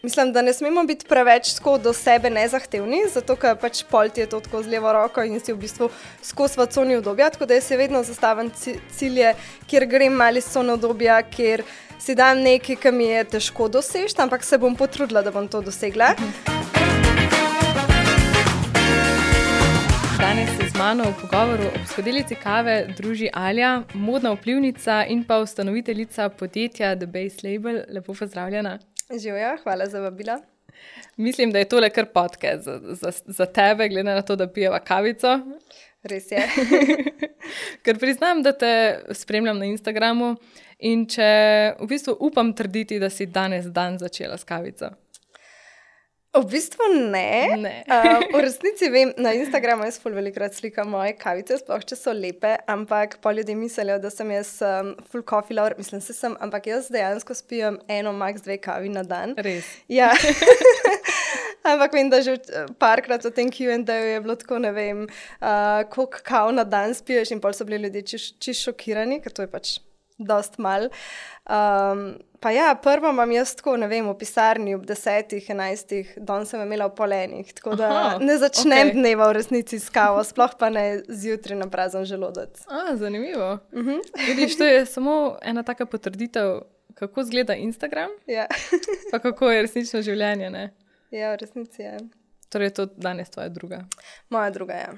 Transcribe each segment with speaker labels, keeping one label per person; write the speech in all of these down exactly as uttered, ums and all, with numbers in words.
Speaker 1: mislim, da ne smemo biti preveč tako do sebe nezahtevni, zato ker pač pol ti je to tako z levo roko in si v bistvu skozi v coni udobja, tako da jaz si vedno zastavim cilje, kjer grem malo iz cone udobja, kjer si dam nekaj, ki mi je težko doseči, ampak se bom potrudila, da bom to dosegla.
Speaker 2: Danes se z mano v pogovoru ob skodelici kave druži Alja, modna vplivnica in pa ustanoviteljica podjetja The Base Label. Lepo pozdravljena.
Speaker 1: Živjo, hvala za vabila.
Speaker 2: Mislim, da je tole kar podcast za, za, za tebe, glede na to, da pijeva kavico.
Speaker 1: Res je.
Speaker 2: Ker priznam, da te spremljam na Instagramu in če v bistvu upam trditi, da si danes dan začela s kavico.
Speaker 1: V bistvu ne.
Speaker 2: ne.
Speaker 1: uh, v resnici vem, na Instagramu jaz ful velikrat slikam moje kavice, sploh če so lepe, ampak pa ljudje mislijo, da sem jaz um, full coffee lover, mislim se sem, ampak jaz dejansko spijem eno, max dve kavi na dan.
Speaker 2: Res?
Speaker 1: Ja. Ampak vem, da že parkrat v tem Q and A je bilo tako, ne vem, uh, koliko kav na dan spiješ in pol so bili ljudje čisto čist šokirani, ker to je pač dost mal. Um, pa ja, prvo imam jaz tako, ne vem, v pisarni ob desetih, enajstih, danes sem imela v pol enih, tako da
Speaker 2: Aha,
Speaker 1: ne začnem
Speaker 2: okay.
Speaker 1: dneva v resnici s kavo, sploh pa ne zjutraj na prazen želodec.
Speaker 2: A, zanimivo.
Speaker 1: Uh-huh.
Speaker 2: Vidiš, to je samo ena taka potrditev, kako izgleda Instagram,
Speaker 1: Ja.
Speaker 2: pa kako je resnično življenje, ne?
Speaker 1: Ja, v resnici je.
Speaker 2: Torej, to danes tvoja druga.
Speaker 1: Moja druga, ja.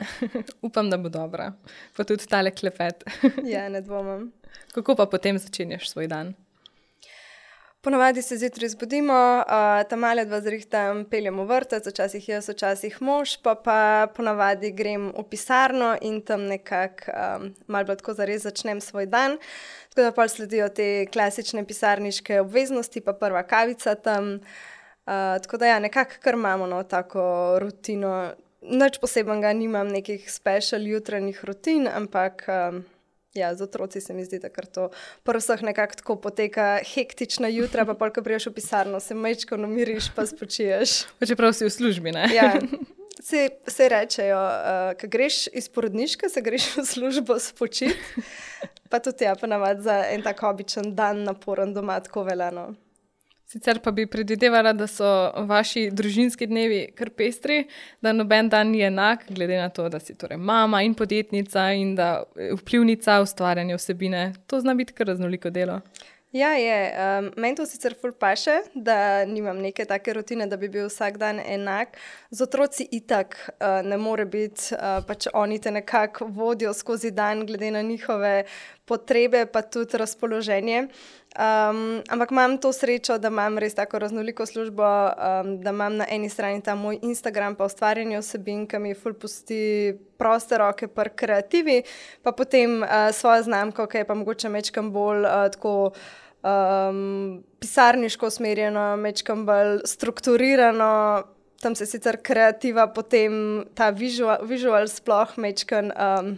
Speaker 2: Upam, da bo dobra. Pa tudi tale klepet.
Speaker 1: Ja, ne dvomim.
Speaker 2: Kako pa potem začenjaš svoj dan?
Speaker 1: Ponavadi se zjutraj zbudimo, uh, tam male dva zrihtam, peljemo vrtec, včasih jaz, včasih mož, pa pa ponavadi grem v pisarno in tam nekako um, malo bolj tako zares začnem svoj dan. Tako da pol sledijo te klasične pisarniške obveznosti, pa prva kavica tam. Uh, tako da ja, nekako kar imamo no, tako rutino. Nič posebenega nimam, nekih special jutranjih rutin, ampak um, ja, z otroci se mi zdi, da kar to pri vseh nekako tako poteka hektična jutra, pa pol, ko priješ v pisarno, se majčko namiriš, pa spočiješ.
Speaker 2: Pa čeprav si v službi, ne?
Speaker 1: Ja, se, se rečejo, uh, ko greš iz porodniške, se greš v službo spočiti, pa tudi ja, ponavadi za en tak običen dan naporen doma tako veljano.
Speaker 2: Sicer pa bi predvidevala, da so vaši družinski dnevi kar pestri, da noben dan ni enak, glede na to, da si torej mama in podjetnica in da vplivnica ustvarjanja vsebine. To zna biti kar raznoliko delo.
Speaker 1: Ja, je. Um, meni to sicer ful paše, da nimam neke take rutine, da bi bil vsak dan enak. Z otroci itak uh, ne more biti, uh, pač oni te nekako vodijo skozi dan, glede na njihove potrebe, pa tudi razpoloženje. Um, ampak imam to srečo, da imam res tako raznoliko službo, um, da imam na eni strani ta moj Instagram, pa ustvarjanje vsebin, ki mi ful pusti proste roke pri kreativi, pa potem uh, svojo znamko, ki je pa mogoče mečkam bolj uh, tako um, pisarniško usmerjeno, mečkam bolj strukturirano. Tam se sicer kreativa, potem ta visual, visual sploh mečkam um,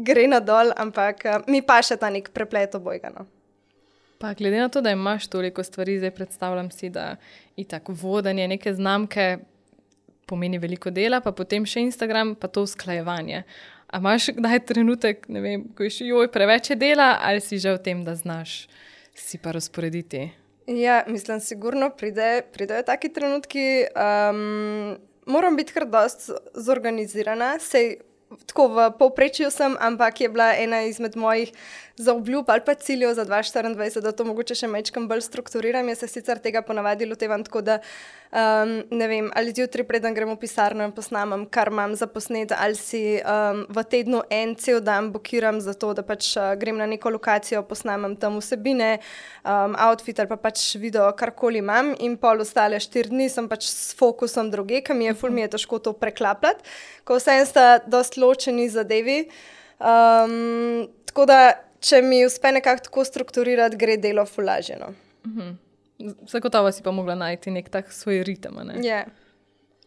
Speaker 1: gre nadol, ampak uh, mi pa še ta nek preplet obojga, no.
Speaker 2: Pa glede na to, da imaš toliko stvari, zdaj predstavljam si, da itak vodenje neke znamke pomeni veliko dela, pa potem še Instagram, pa to usklajevanje. A imaš kdaj trenutek, ne vem, ko je še joj preveč dela, ali si že v tem, da znaš si pa razporediti?
Speaker 1: Ja, mislim, sigurno pride, pridejo taki trenutki. Um, moram biti kar dost zorganizirana, sej tako v povprečju sem, ampak je bila ena izmed mojih zaobljub ali pa ciljev za dva tisoč štiriindvajset, da to mogoče še mečkam bolj strukturiram. Jaz se sicer tega ponavadi lotevam tako, da um, ne vem, ali zjutraj preden grem v pisarno in posnamem, kar imam za posnet, ali si um, v tednu en cel dan blokiram za to, da pač uh, grem na neko lokacijo, posnamem tam vsebine, um, outfit ali pa pač video, karkoli imam in pol ostale štiri dni sem pač s fokusom druge, ker mi je ful mi je težko to preklapljati, ko vsem sta dost ločeni zadevi. Um, tako da če mi uspe nekako tako strukturirati, gre delo ful lažje, no.
Speaker 2: Uh-huh. Zagotovo si pa mogla najti nek tak svoj ritem, ne?
Speaker 1: Ja. Yeah.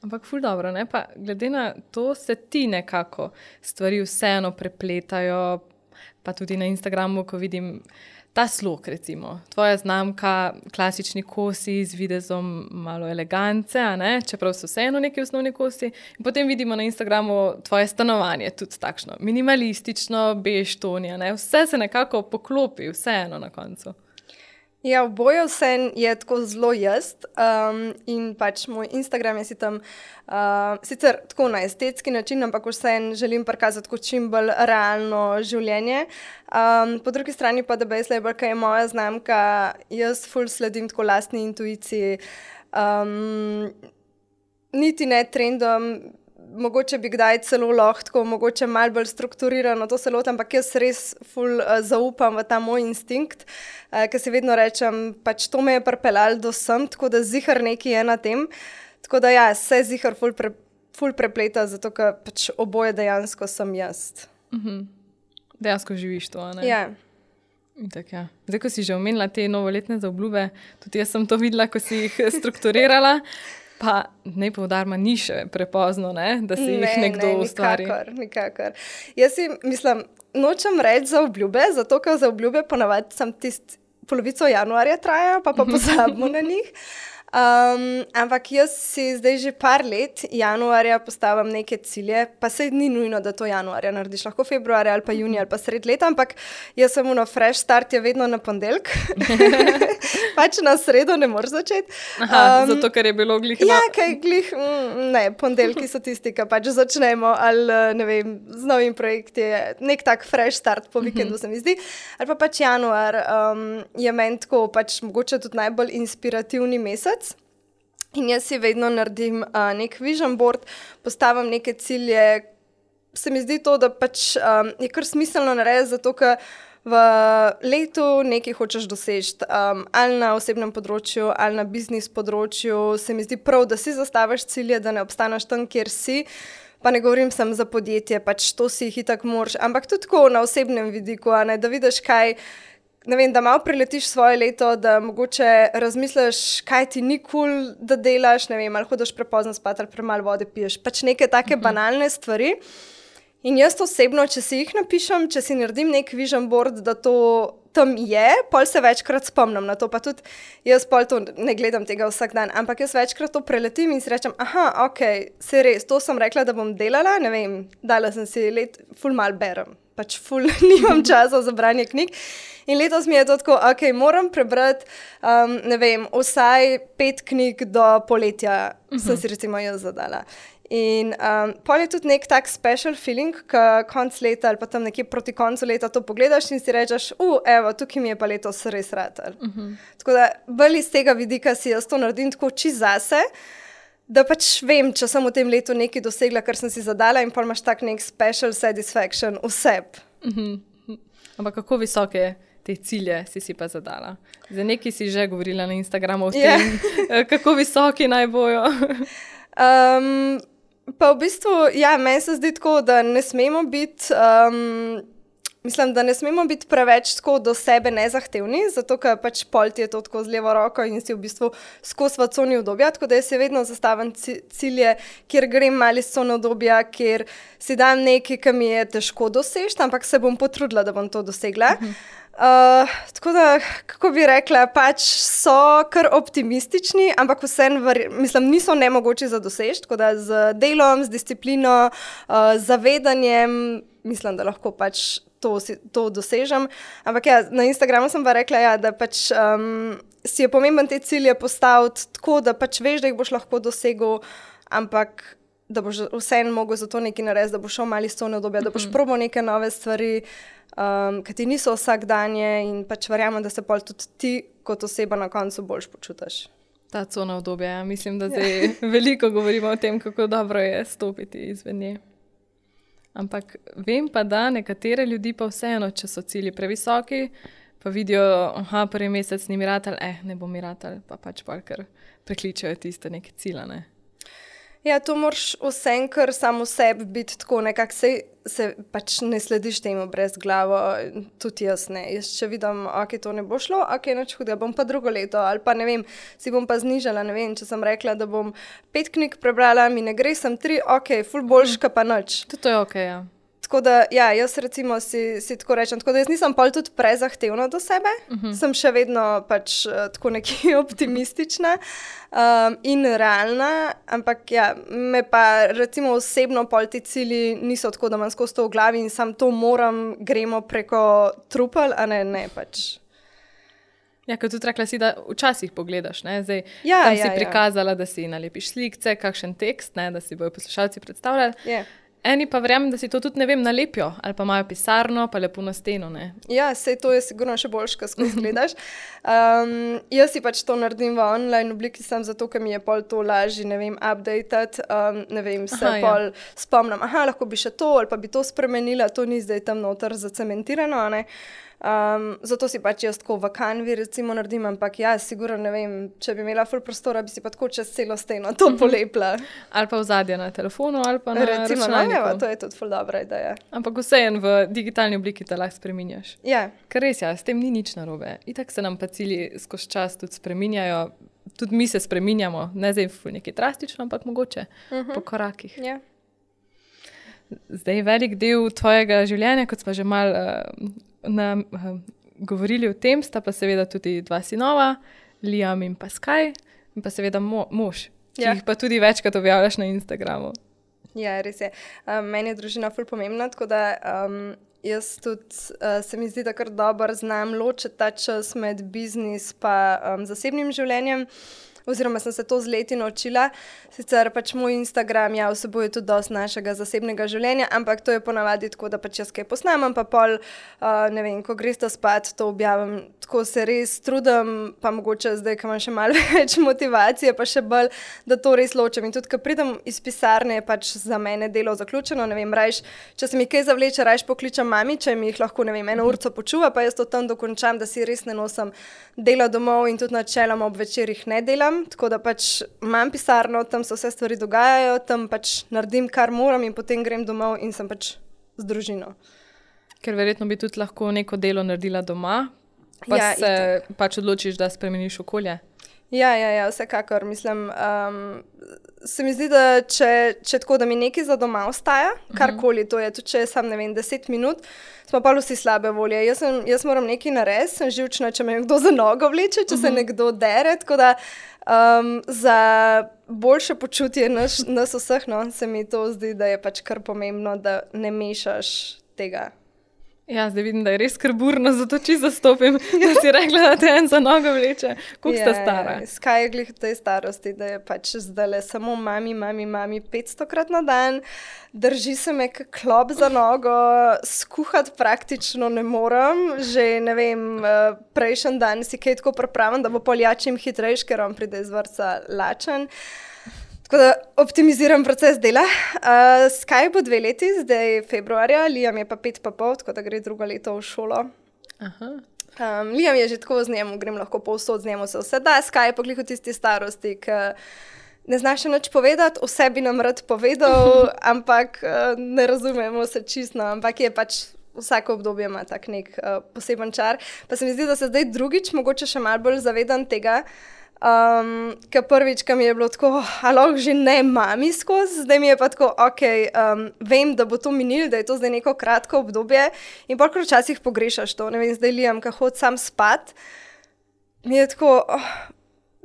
Speaker 2: Ampak ful dobro, ne? Pa glede na to se ti nekako stvari vseeno prepletajo, pa tudi na Instagramu, ko vidim ta slog, recimo. Tvoja znamka, klasični kosi z videzom malo elegance, a ne? Čeprav so vseeno neki osnovni kosi. In potem vidimo na Instagramu tvoje stanovanje, tudi takšno minimalistično, bež tonja, ne? Vse se nekako poklopi, vseeno na koncu.
Speaker 1: Ja, oboje vse je tako zelo jaz um, in pač moj Instagram je si tam uh, sicer tako na estetski način, ampak vse želim prikazati kot čim bolj realno življenje. Um, po drugi strani pa The Base Label, ki je moja znamka, jaz ful sledim tako lastni intuiciji, um, niti ne trendom. Mogoče bi kdaj celo lahko, mogoče malo bolj strukturirano to se lotim, ampak jaz res ful uh, zaupam v ta moj instinkt, uh, ker si vedno rečem, pač to me je pripeljalo do sem, tako da zihar nekaj je na tem. Tako da ja, se zihar ful, pre, ful prepleta, zato ker pač oboje dejansko sem jaz.
Speaker 2: Mhm. Dejansko živiš to, ne?
Speaker 1: Ja.
Speaker 2: Tak, ja. Zdaj, ko si že omenila te novoletne zaobljube, tudi jaz sem to videla, ko si jih strukturirala. Pa ne poudarma, ni še prepozno, ne? Da si jih
Speaker 1: ne,
Speaker 2: nekdo
Speaker 1: ne,
Speaker 2: ustvari.
Speaker 1: Nikakor, nikakor. Jaz si mislim, nočem reči za obljube, zato ker za obljube ponavadi sem tist polovico januarja trajajo, pa pa pozabimo na njih. Um, ampak jaz si zdaj že par let januarja postavim neke cilje, pa sej ni nujno, da to januarja narediš, lahko februarja ali pa junija ali pa sred leta, ampak jaz sem ono fresh start je vedno na ponedeljek, pač na sredo ne moreš začeti.
Speaker 2: Aha,
Speaker 1: um,
Speaker 2: zato, ker je bilo glih.
Speaker 1: Ja, kaj glih, mm, ne, ponedeljki so tisti, ki pač začnemo ali ne vem, z novim projekti, nek tak fresh start po vikendu se mi zdi, ali pa pač januar um, je meni tako pač mogoče tudi najbolj inspirativni mesec. In jaz si vedno naredim uh, nek vision board, postavim neke cilje. Se mi zdi to, da pač um, je kar smiselno narediti, zato ker v letu nekaj hočeš doseči. Um, ali na osebnem področju, ali na biznis področju. Se mi zdi prav, da si zastaviš cilje, da ne obstaneš tam, kjer si. Pa ne govorim samo za podjetje, pač to si jih itak moraš. Ampak tudi tako na osebnem vidiku, a ne, da vidiš kaj. Ne vem, da malo preletiš svoje leto, da mogoče razmisliš, kaj ti ni kul, cool, da delaš, ne vem, ali hodiš prepozno spat ali premalo vode piješ. Pač neke take uh-huh. banalne stvari. In jaz osebno, če si jih napišem, če si naredim nek vision board, da to tam je, pol se večkrat spomnim na to, pa tudi jaz pol to ne gledam tega vsak dan, ampak jaz večkrat to preletim in si rečem, aha, ok, se res, to sem rekla, da bom delala, ne vem, dala sem si let, ful mal berem. Pač ful nimam časa za branje knjig. In letos mi je to tako, ok, moram prebrati, um, ne vem, vsaj pet knjig do poletja, uh-huh. sem si recimo jaz zadala. In um, pol je tudi nek tak special feeling, ko konc leta ali pa tam nekje proti koncu leta to pogledaš in si rečeš, uh, evo, tukaj mi je pa letos res ratal. Uh-huh. Tako da bolj iz tega vidika si jaz to naredim tako čist zase, da pač vem, če sem v tem letu nekaj dosegla, kar sem si zadala in pol imaš tak nek special satisfaction v sebi.
Speaker 2: Uh-huh. Ampak kako visoke te cilje si si pa zadala? Za nekaj si že govorila na Instagramu o tem, yeah. kako visoki naj bojo.
Speaker 1: um, pa v bistvu, ja, meni se zdi tako, da ne smemo biti... Um, Mislim, da ne smemo biti preveč tako do sebe nezahtevni, zato ker pač pol ti je to tako z levo roko in si v bistvu skozi v coni udobja, tako da jaz si vedno zastavim cilje, kjer grem malo iz cone udobja, kjer si dam nekaj, ki mi je težko doseči, ampak se bom potrudila, da bom to dosegla. Uh-huh. Uh, tako da, kako bi rekla, pač so kar optimistični, ampak vseeno, mislim, niso nemogoči za doseči, tako da z delom, z disciplino, uh, zavedanjem, mislim, da lahko pač To, to dosežem. Ampak ja, na Instagramu sem pa rekla, ja, da pač um, si je pomemben te cilje postaviti tako, da pač veš, da jih boš lahko dosegel, ampak da boš vseeno mogel za to nekaj narediti, da boš šel malo iz cone udobja, mm-hmm. da boš probal neke nove stvari, um, ki ti niso vsakdanje in pač verjamem, da se pol tudi ti kot oseba na koncu boljš počutiš.
Speaker 2: Ta cona udobja, ja. Mislim, da zdaj ja. veliko govorimo o tem, kako dobro je stopiti izven nje. Ampak vem pa, da nekatere ljudi pa vseeno, če so cilji previsoki, pa vidijo, aha, prvi mesec ni mi ratal, eh, ne bo mi ratal, pa pač pa kar prekličajo tiste neke cilje, ne.
Speaker 1: Ja, to moraš vsem, kar samo sebi biti tako nekako, se, se pač ne slediš temu brez glavo, tudi jaz ne. Jaz če vidim, ok, to ne bo šlo, ok, nič hudega, bom pa drugo leto, ali pa ne vem, si bom pa znižala, ne vem, če sem rekla, da bom pet knjig prebrala, mi ne gre, sem tri, ok, ful boljška pa nič.
Speaker 2: To je ok, ja.
Speaker 1: Tako da, ja, jaz recimo si, si tako rečem, tako da jaz nisem pol tudi prezahtevna do sebe, uh-huh. sem še vedno pač tako nekaj optimistična um, in realna, ampak ja, me pa recimo osebno pol ti cilji niso tako, da imam skozi to v glavi in sam to moram, gremo preko trupel, a ne, ne pač.
Speaker 2: Ja, kot tudi rekla si, da včasih pogledaš, ne? Zdaj
Speaker 1: Ja,
Speaker 2: tam
Speaker 1: ja,
Speaker 2: si
Speaker 1: ja.
Speaker 2: prikazala, da si nalepiš slikce, kakšen tekst, ne? Da si bojo poslušalci predstavljali.
Speaker 1: Je.
Speaker 2: Eni pa verjamem, da si to tudi, ne vem, nalepijo ali pa imajo pisarno, pa lepo na steno, ne?
Speaker 1: Ja, sej to je sigurno še boljš, ko skozi gledaš. Um, jaz si pač to naredim v online obliki, sam zato, ker mi je pol to lažje, ne vem, updated, um, ne vem, se
Speaker 2: Aha, ja.
Speaker 1: pol spomnim, aha, lahko bi še to ali pa bi to spremenila, to ni zdaj tam noter zacementirano, ne. Um, zato si pač jaz tako v Canvi recimo naredim, ampak ja, sigurno, ne vem, če bi imela ful prostora, bi si pa tako čez celo steno to polepla.
Speaker 2: Ali pa vzadje na telefonu, ali pa na
Speaker 1: Recimo, no,
Speaker 2: računalniku.
Speaker 1: evo, to je tudi ful dobra ideja.
Speaker 2: Ampak vseeno v digitalni obliki te lahko spreminjaš.
Speaker 1: Ja,
Speaker 2: Ker res, ja, s tem ni nič narobe. Itak se nam pa cilji skozi čas tudi spreminjajo. Tudi mi se spreminjamo, ne zdaj ful nekaj drastično, ampak mogoče uh-huh. po korakih.
Speaker 1: ja.
Speaker 2: Zdaj velik del tvojega življenja, kot smo že malo uh, na, uh, govorili o tem, sta pa seveda tudi dva sinova, Liam in pa Sky, in pa seveda mo mož, ki
Speaker 1: Ja.
Speaker 2: jih pa tudi večkrat objavljaš na Instagramu.
Speaker 1: Ja, res je. Um, meni je družina ful pomembna, tako da um, jaz tudi uh, se mi zdi, da kar dobro znam ločiti ta čas med biznis pa um, zasebnim življenjem. Oziroma sem se to z leti naučila. Sicer pač moj Instagram ja, vsebuje tudi dosti našega zasebnega življenja, ampak to je ponavadi tako, da pač jaz kaj posnamem, pa pol, uh, ne vem, ko greste spat, to objavim. Tako se res trudim, pa mogoče zdaj, ko imam še malo več motivacije, pa še bolj, da to res ločem. In tudi, ko pridem iz pisarne, je pač za mene delo zaključeno. Ne vem, rajš, če se mi kaj zavleče, rajš pokličem mami, če mi jih lahko, ne vem, eno urco počuva, pa jaz to tam dokončam, da si res ne nosim dela domov in tudi načeloma ob večerih ne delam. Tako da pač imam pisarno, tam se vse stvari dogajajo, tam pač naredim, kar moram in potem grem domov in sem pač z družino.
Speaker 2: Ker verjetno bi tudi lahko neko delo naredila doma, pa
Speaker 1: Ja,
Speaker 2: se pač odločiš, da spremeniš okolje.
Speaker 1: Ja, ja, ja, vsekakor. Mislim, um, se mi zdi, da če, če tako, da mi nekaj za doma ostaja, karkoli to je, tudi če je sam, ne vem, deset minut, smo pa vsi slabe volje. Jaz, sem, jaz moram nekaj narediti, sem živčna, če me kdo za nogo vleče, če se nekdo dere, tako da um, za boljše počutje nas, nas vseh, no, se mi to zdi, da je pač kar pomembno, da ne mešaš tega.
Speaker 2: Ja, zdaj vidim, da je res kar burno, zato čisto zastopim, da si rekla, da te en za nogo vleče. Koliko sta stara?
Speaker 1: Skaj je glih v tej starosti, da je pač zdajle samo mami, mami, mami petstokrat na dan, drži se me kak klop za nogo, skuhati praktično ne morem, že ne vem, prejšnji dan si kaj tako pripravim, da bo poljačim hitrejš, ker on pride iz vrtca lačen. Tako da optimiziram proces dela. Uh, Sky bo dve leti, zdaj februarja, Liam je pa pet pa pol, tako da gre drugo leto v šolo.
Speaker 2: Aha.
Speaker 1: Um, Liam je že tako z njim, grem lahko povsod z njim, se vse da. Sky je pa glih v tisti starosti, ki ne znaš še nič povedati, vse bi nam rad povedal, ampak uh, ne razumemo se čisto, ampak je pač vsako obdobje ima tak nek uh, poseben čar. Pa se mi zdi, da se zdaj drugič mogoče še malo bolj zavedam tega, Um, ker prvič, ko mi je bilo tako, alo, že ne mami skozi, zdaj mi je pa tako, ok, um, vem, da bo to minilo, da je to zdaj neko kratko obdobje in pa včasih pogrešaš to, ne vem, zdaj Liam, ko hod sam spat, mi je tako, oh,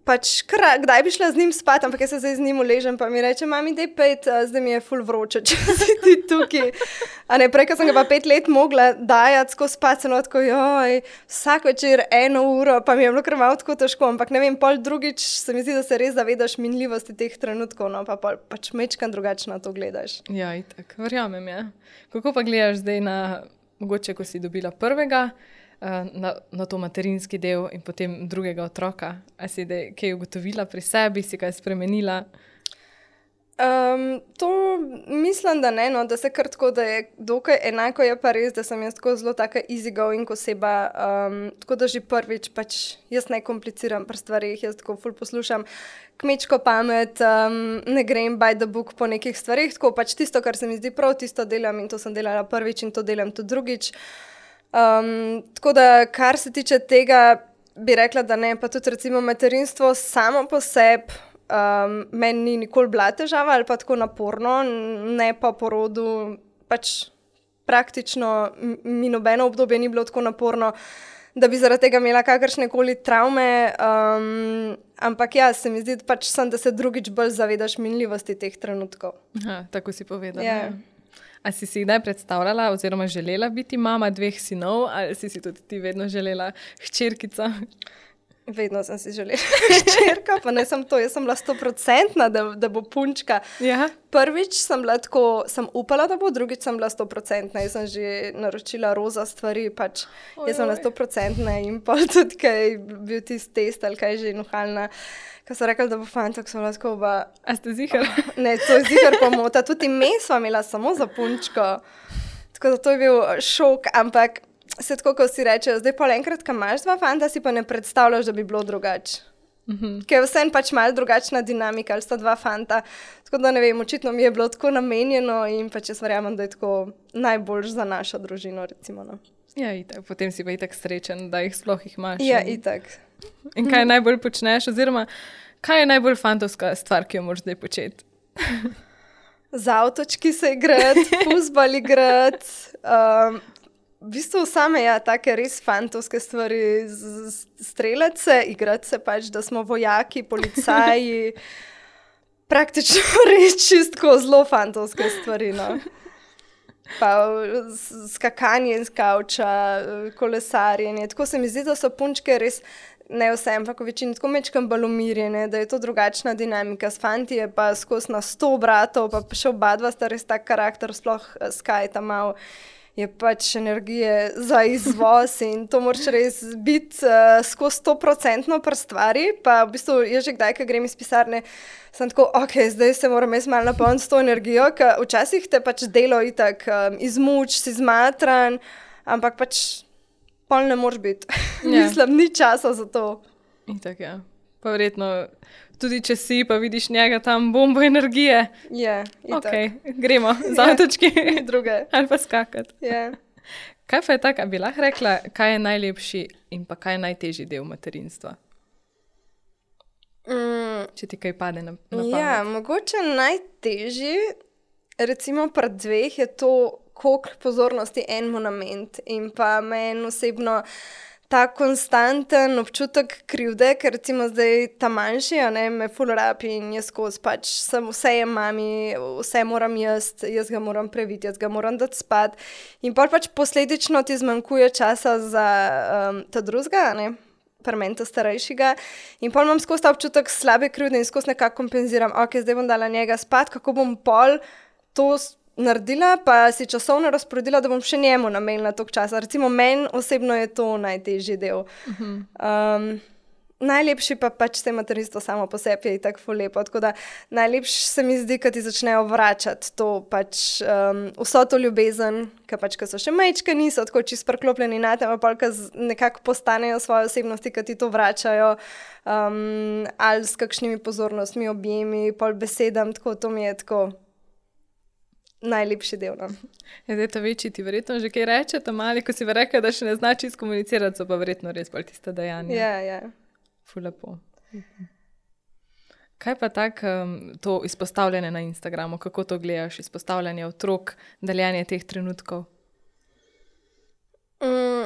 Speaker 1: pač, kar, kdaj bi šla z njim spat, ampak jaz se zdaj z njim uležem, pa mi reče, mami, dej pet, zdaj mi je ful vroče, če si ti tukaj. A ne, prej, ko sem ga pa pet let mogla dajati skozi spat, sem tako, joj, vsak večer eno uro, pa mi je bilo kar malo tako težko, ampak ne vem, pol drugič se mi zdi, da se res zavedaš minljivosti teh trenutkov, no, pa pol, pač mečkan drugače na to gledaš.
Speaker 2: Ja, itak, verjamem, ja. Kako pa gledaš zdaj na, mogoče, ko si dobila prvega, Na, na to materinski del in potem drugega otroka? A si da kaj ugotovila pri sebi, si kaj spremenila?
Speaker 1: Um, to mislim, da ne, no, da se kar tako, da je dokaj enako, je pa res, da sem jaz tako zelo taka easygoing oseba, um, tako da že prvič pač jaz ne kompliciram pri stvarih, jaz tako ful poslušam kmečko pamet, um, ne grem by the book po nekih stvarih, tako pač tisto, kar se mi zdi prav, tisto delam in to sem delala prvič in to delam tudi drugič. Um, tako da, kar se tiče tega, bi rekla, da ne, pa tudi recimo materinstvo samo po sebi um, meni ni nikoli bila težava ali pa tako naporno, ne pa po rodu, pač praktično mi nobeno obdobje ni bilo tako naporno, da bi zaradi tega imela kakršne koli travme, um, ampak ja, se mi zdi pač sem, da se drugič bolj zavedaš minljivosti teh trenutkov.
Speaker 2: Aha, tako si povedala.
Speaker 1: Yeah.
Speaker 2: A si si kdaj predstavljala oziroma želela biti mama dveh sinov ali si si tudi ti vedno želela hčerkico?
Speaker 1: Vedno sem si želela hčerko, pa ne sem to, jaz sem bila stoprocentna, da, da bo punčka.
Speaker 2: Ja.
Speaker 1: Prvič sem bila tako, sem upala, da bo, drugič sem bila stoprocentna. Jaz sem že naročila roza stvari, pač
Speaker 2: Oj,
Speaker 1: jaz sem bila
Speaker 2: oj.
Speaker 1: stoprocentna in pa tudi, kaj je bil tisti test ali kaj že nuhalna. Ko so rekli, da bo fantok, sem bila tako, ba,
Speaker 2: A ste zihar?
Speaker 1: ne, to je zihar pomota. Tudi ime sva imela samo za punčko. Tako da to je bil šok, ampak se tako, ko si rečejo, zdaj pol enkrat, ko imaš dva fanta, si pa ne predstavljaš, da bi bilo drugače.
Speaker 2: Mhm.
Speaker 1: Ker je vsem pač malo drugačna dinamika, ali sta dva fanta. Tako da ne vem, očitno mi je bilo tako namenjeno in pač jaz verjamem, da je tako najboljš za našo družino, recimo. No.
Speaker 2: Ja, itak. Potem si pa itak srečen, da jih sploh jih imaš.
Speaker 1: Ja,
Speaker 2: in,
Speaker 1: itak.
Speaker 2: in kaj najbolj počneš, oziroma kaj je najbolj fantovska stvar, ki jo moraš zdaj početi?
Speaker 1: Z avtočki se igrati, fuzbal igrati. Um, v bistvu same, ja, take res fantovske stvari, z- z- streljati se, igrati se pač, da smo vojaki, policaji. Praktično res čistko zelo fantovske stvari, no. Pa s- skakanje z kavča, kolesarjenje. Tako se mi zdi, da so punčke res, ne vse, ampak v večini tako mečkam bolj umirjene, da je to drugačna dinamika. S fanti je pa skozi na sto bratov, pa še oba dva sta res tak karakter, sploh eh, Sky tam mal je pač energije za izvoz in to moraš res biti uh, skozi sto procentno pri stvari. Pa v bistvu jaz že kdaj, ko grem iz pisarne, sem tako, ok, zdaj se moram jaz malo napolniti s to energijo, ker včasih te pač delo itak um, izmuč, si zmatran, ampak pač pol ne moreš biti.
Speaker 2: Ja.
Speaker 1: Mislim, ni časa za to.
Speaker 2: Itak, ja. Pa verjetno, tudi če si, pa vidiš njega tam bombo energije.
Speaker 1: Je,
Speaker 2: Ok,
Speaker 1: itak.
Speaker 2: gremo z
Speaker 1: Ja.
Speaker 2: avtočki.
Speaker 1: Ni druge.
Speaker 2: Ali pa skakati.
Speaker 1: Je.
Speaker 2: Kaj pa je tako, a bi lahko rekla, kaj je najlepši in pa kaj je najtežji del materinstva?
Speaker 1: Mm,
Speaker 2: Če ti kaj pade na, na pamet.
Speaker 1: ja, mogoče najtežji, recimo pri dveh, je to, koliko pozornosti enemu nameniti. In pa meni osebno ta konstanten občutek krivde, ker recimo zdaj ta manjši, a ne, me ful rabi in jaz skozi pač sem vse je mami, vse moram jaz, jaz ga moram previti, jaz ga moram dati spat. In pol pač posledično ti zmanjkuje časa za um, ta drugega, a ne, pri meni ta starejšega. In pol imam skozi ta občutek slabe krivde in skozi nekako kompenziram, ok, zdaj bom dala njega spat, kako bom pol to s- naredila, pa si časovno razporedila, da bom še njemu namenila toliko časa. Recimo meni osebno je to najtežji del. Um, najlepši pa pač se materinstvo samo po sebi je tako ful lepo. Tako da najlepši se mi zdi, kad ti začnejo vračati to pač um, vso to ljubezen, ker pač, ko so še majčke, niso tako čisto preklopljeni na tem, pa ko nekako postanejo svoje osebnosti, kad ti to vračajo, um, ali s kakšnimi pozornostmi, objemi, pol besedam, tako to mi je tako najlepši del. No.
Speaker 2: Ja, zdaj to večji ti verjetno že kaj reče, ta mali, ko si pa rekel, da še ne zna čisto komunicirati, so pa verjetno res bolj tiste dejanja.
Speaker 1: Ja, ja.
Speaker 2: Ful lepo. Kaj pa tak, um, to izpostavljanje na Instagramu, kako to gledaš, izpostavljanje otrok, deljenje teh trenutkov?
Speaker 1: Mm,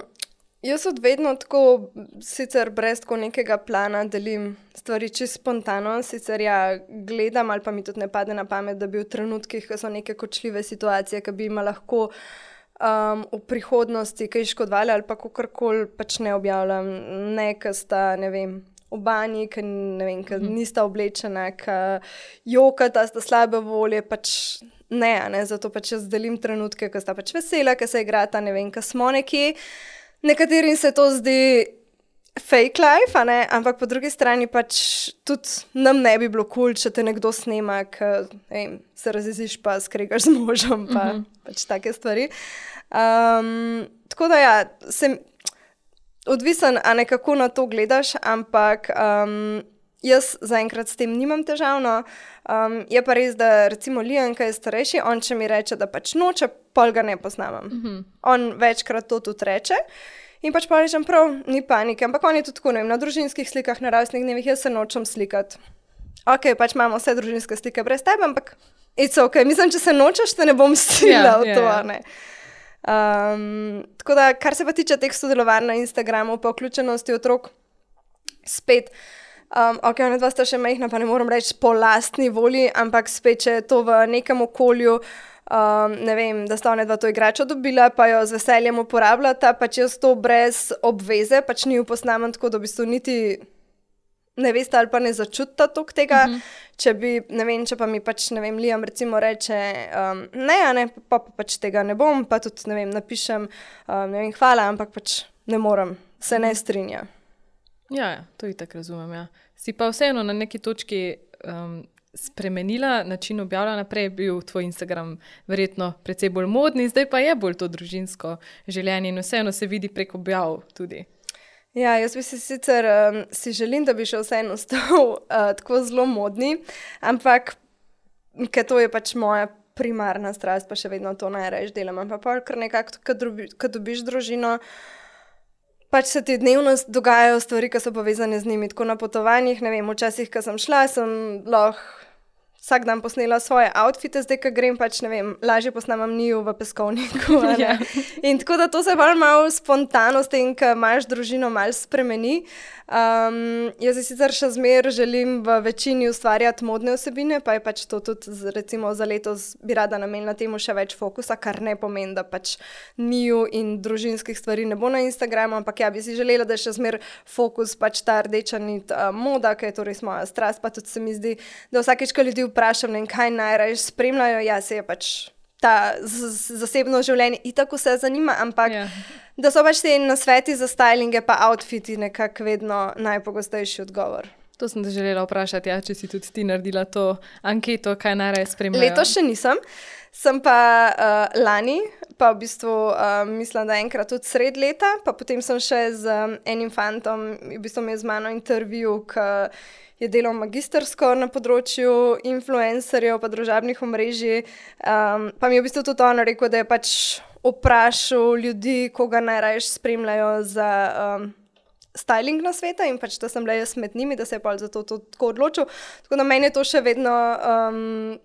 Speaker 1: jaz od vedno tako, sicer brez tako nekega plana, delim stvari čisto spontano, sicer ja, gledam ali pa mi tudi ne pade na pamet, da bi v trenutkih, ko so neke kočljive situacije, ki bi ima lahko um, v prihodnosti kaj škodovali ali pa kakorkoli pač ne objavljam, ne, ker sta, ne vem, v banji, ker ne vem, ker nista oblečena, ker jokata, sta slabe volje, pač ne, a ne, zato pač jaz delim trenutke, ko sta pač vesela, ko se igrata, ne vem, ko smo nekje. Nekaterim se to zdi fake life, a ne, ampak po drugi strani pač tudi nam ne bi bilo kul, cool, če te nekdo snema, ker se razjeziš pa skregaš z možem, pa uh -huh. pač take stvari. Um, tako da ja, sem odvisen, a ne kako na to gledaš, ampak um, jaz zaenkrat s tem nimam težavno. Um, je pa res, da recimo Liam, ki je starejši, on če mi reče, da pač noče, pol ga ne posnamem. Uh -huh. On večkrat to tudi reče. In pač pa rečem, prav, ni panike, ampak on je tudi tako, ne vem, na družinskih slikah, na rojstnih dnevih, jaz se nočem slikati. Ok, pač imamo vse družinske slike brez tebe, ampak it's ok, mislim, če se nočeš, te ne bom stila
Speaker 2: Ja,
Speaker 1: v
Speaker 2: ja,
Speaker 1: to,
Speaker 2: ja.
Speaker 1: a ne. Um, tako da, kar se pa tiče teh sodelovanj na Instagramu, pa vključenosti otrok, spet, um, ok, ona dva sta še majhna, pa ne moram reči po lastni volji, ampak spet, če je to v nekem okolju, um, ne vem, da sta ona dva to igračo dobila, pa jo z veseljem uporabljata, pač jaz to brez obveze, pač ni jo posnamem tako, da v bistvu niti ne veste ali pa ne začutite toliko tega, uh -huh. če bi, ne vem, če pa mi pač, ne vem, Liam recimo reče, um, ne, a ne, pa, pa pač tega ne bom, pa tudi, ne vem, napišem, um, ne vem, hvala, ampak pač ne morem, se ne strinja.
Speaker 2: Ja, ja, to itak razumem, ja. Si pa vseeno na neki točki um, spremenila način objavljanja, prej je bil tvoj Instagram verjetno precej bolj modni, zdaj pa je bolj to družinsko življenje in vseeno se vidi prek objav tudi.
Speaker 1: Ja, jaz bi si sicer um, si želim, da bi še vseeno stal uh, tako zelo modni, ampak ker to je pač moja primarna strast, pa še vedno to najraje delam, ampak pa kar nekako, ko dobiš družino, pač se ti dnevno dogajajo stvari, ki so povezane z njimi, tako na potovanjih, ne vem, včasih, ko sem šla, sem lahko vsak dan posnela svoje outfite, zdaj, ko grem, pač ne vem, lažje posnamem njiju v peskovniku. Ja. In tako da to se bolj malo spontano s tem, ko imaš družino, malo spremeni. Um, jaz si sicer še zmer želim v večini ustvarjati modne vsebine, pa je pač to tudi recimo za letos bi rada namenila temu še več fokusa, kar ne pomeni, da pač njiju in družinskih stvari ne bo na Instagramu, ampak ja, bi si želela, da je še zmer fokus pač ta rdeča nit uh, moda, ki je to res moja strast, pa tudi se mi zdi, da vsakeč, ko ljudi vprašam, ne, kaj najraje spremljajo, ja, se je pač ta zasebno življenje itak vse zanima, ampak yeah. da so pač te nasveti za stylinge pa outfiti nekako vedno najpogostejši odgovor.
Speaker 2: To sem te želela vprašati, ja, če si tudi ti naredila to anketo, kaj najraje spremljajo.
Speaker 1: Letos še nisem, sem pa uh, lani, pa v bistvu uh, mislim, da enkrat tudi sred leta, pa potem sem še z um, enim fantom, v bistvu mi je z mano intervju, k je delal magistersko na področju influencerjev pa družabnih omrežij, um, pa mi je v bistvu tudi on rekel, da je pač vprašal ljudi, koga najraje spremljajo za um, styling na sveta in pač, da sem bila jaz med njimi, da se je pa za to, to tako odločil. Tako da meni je to še vedno, um,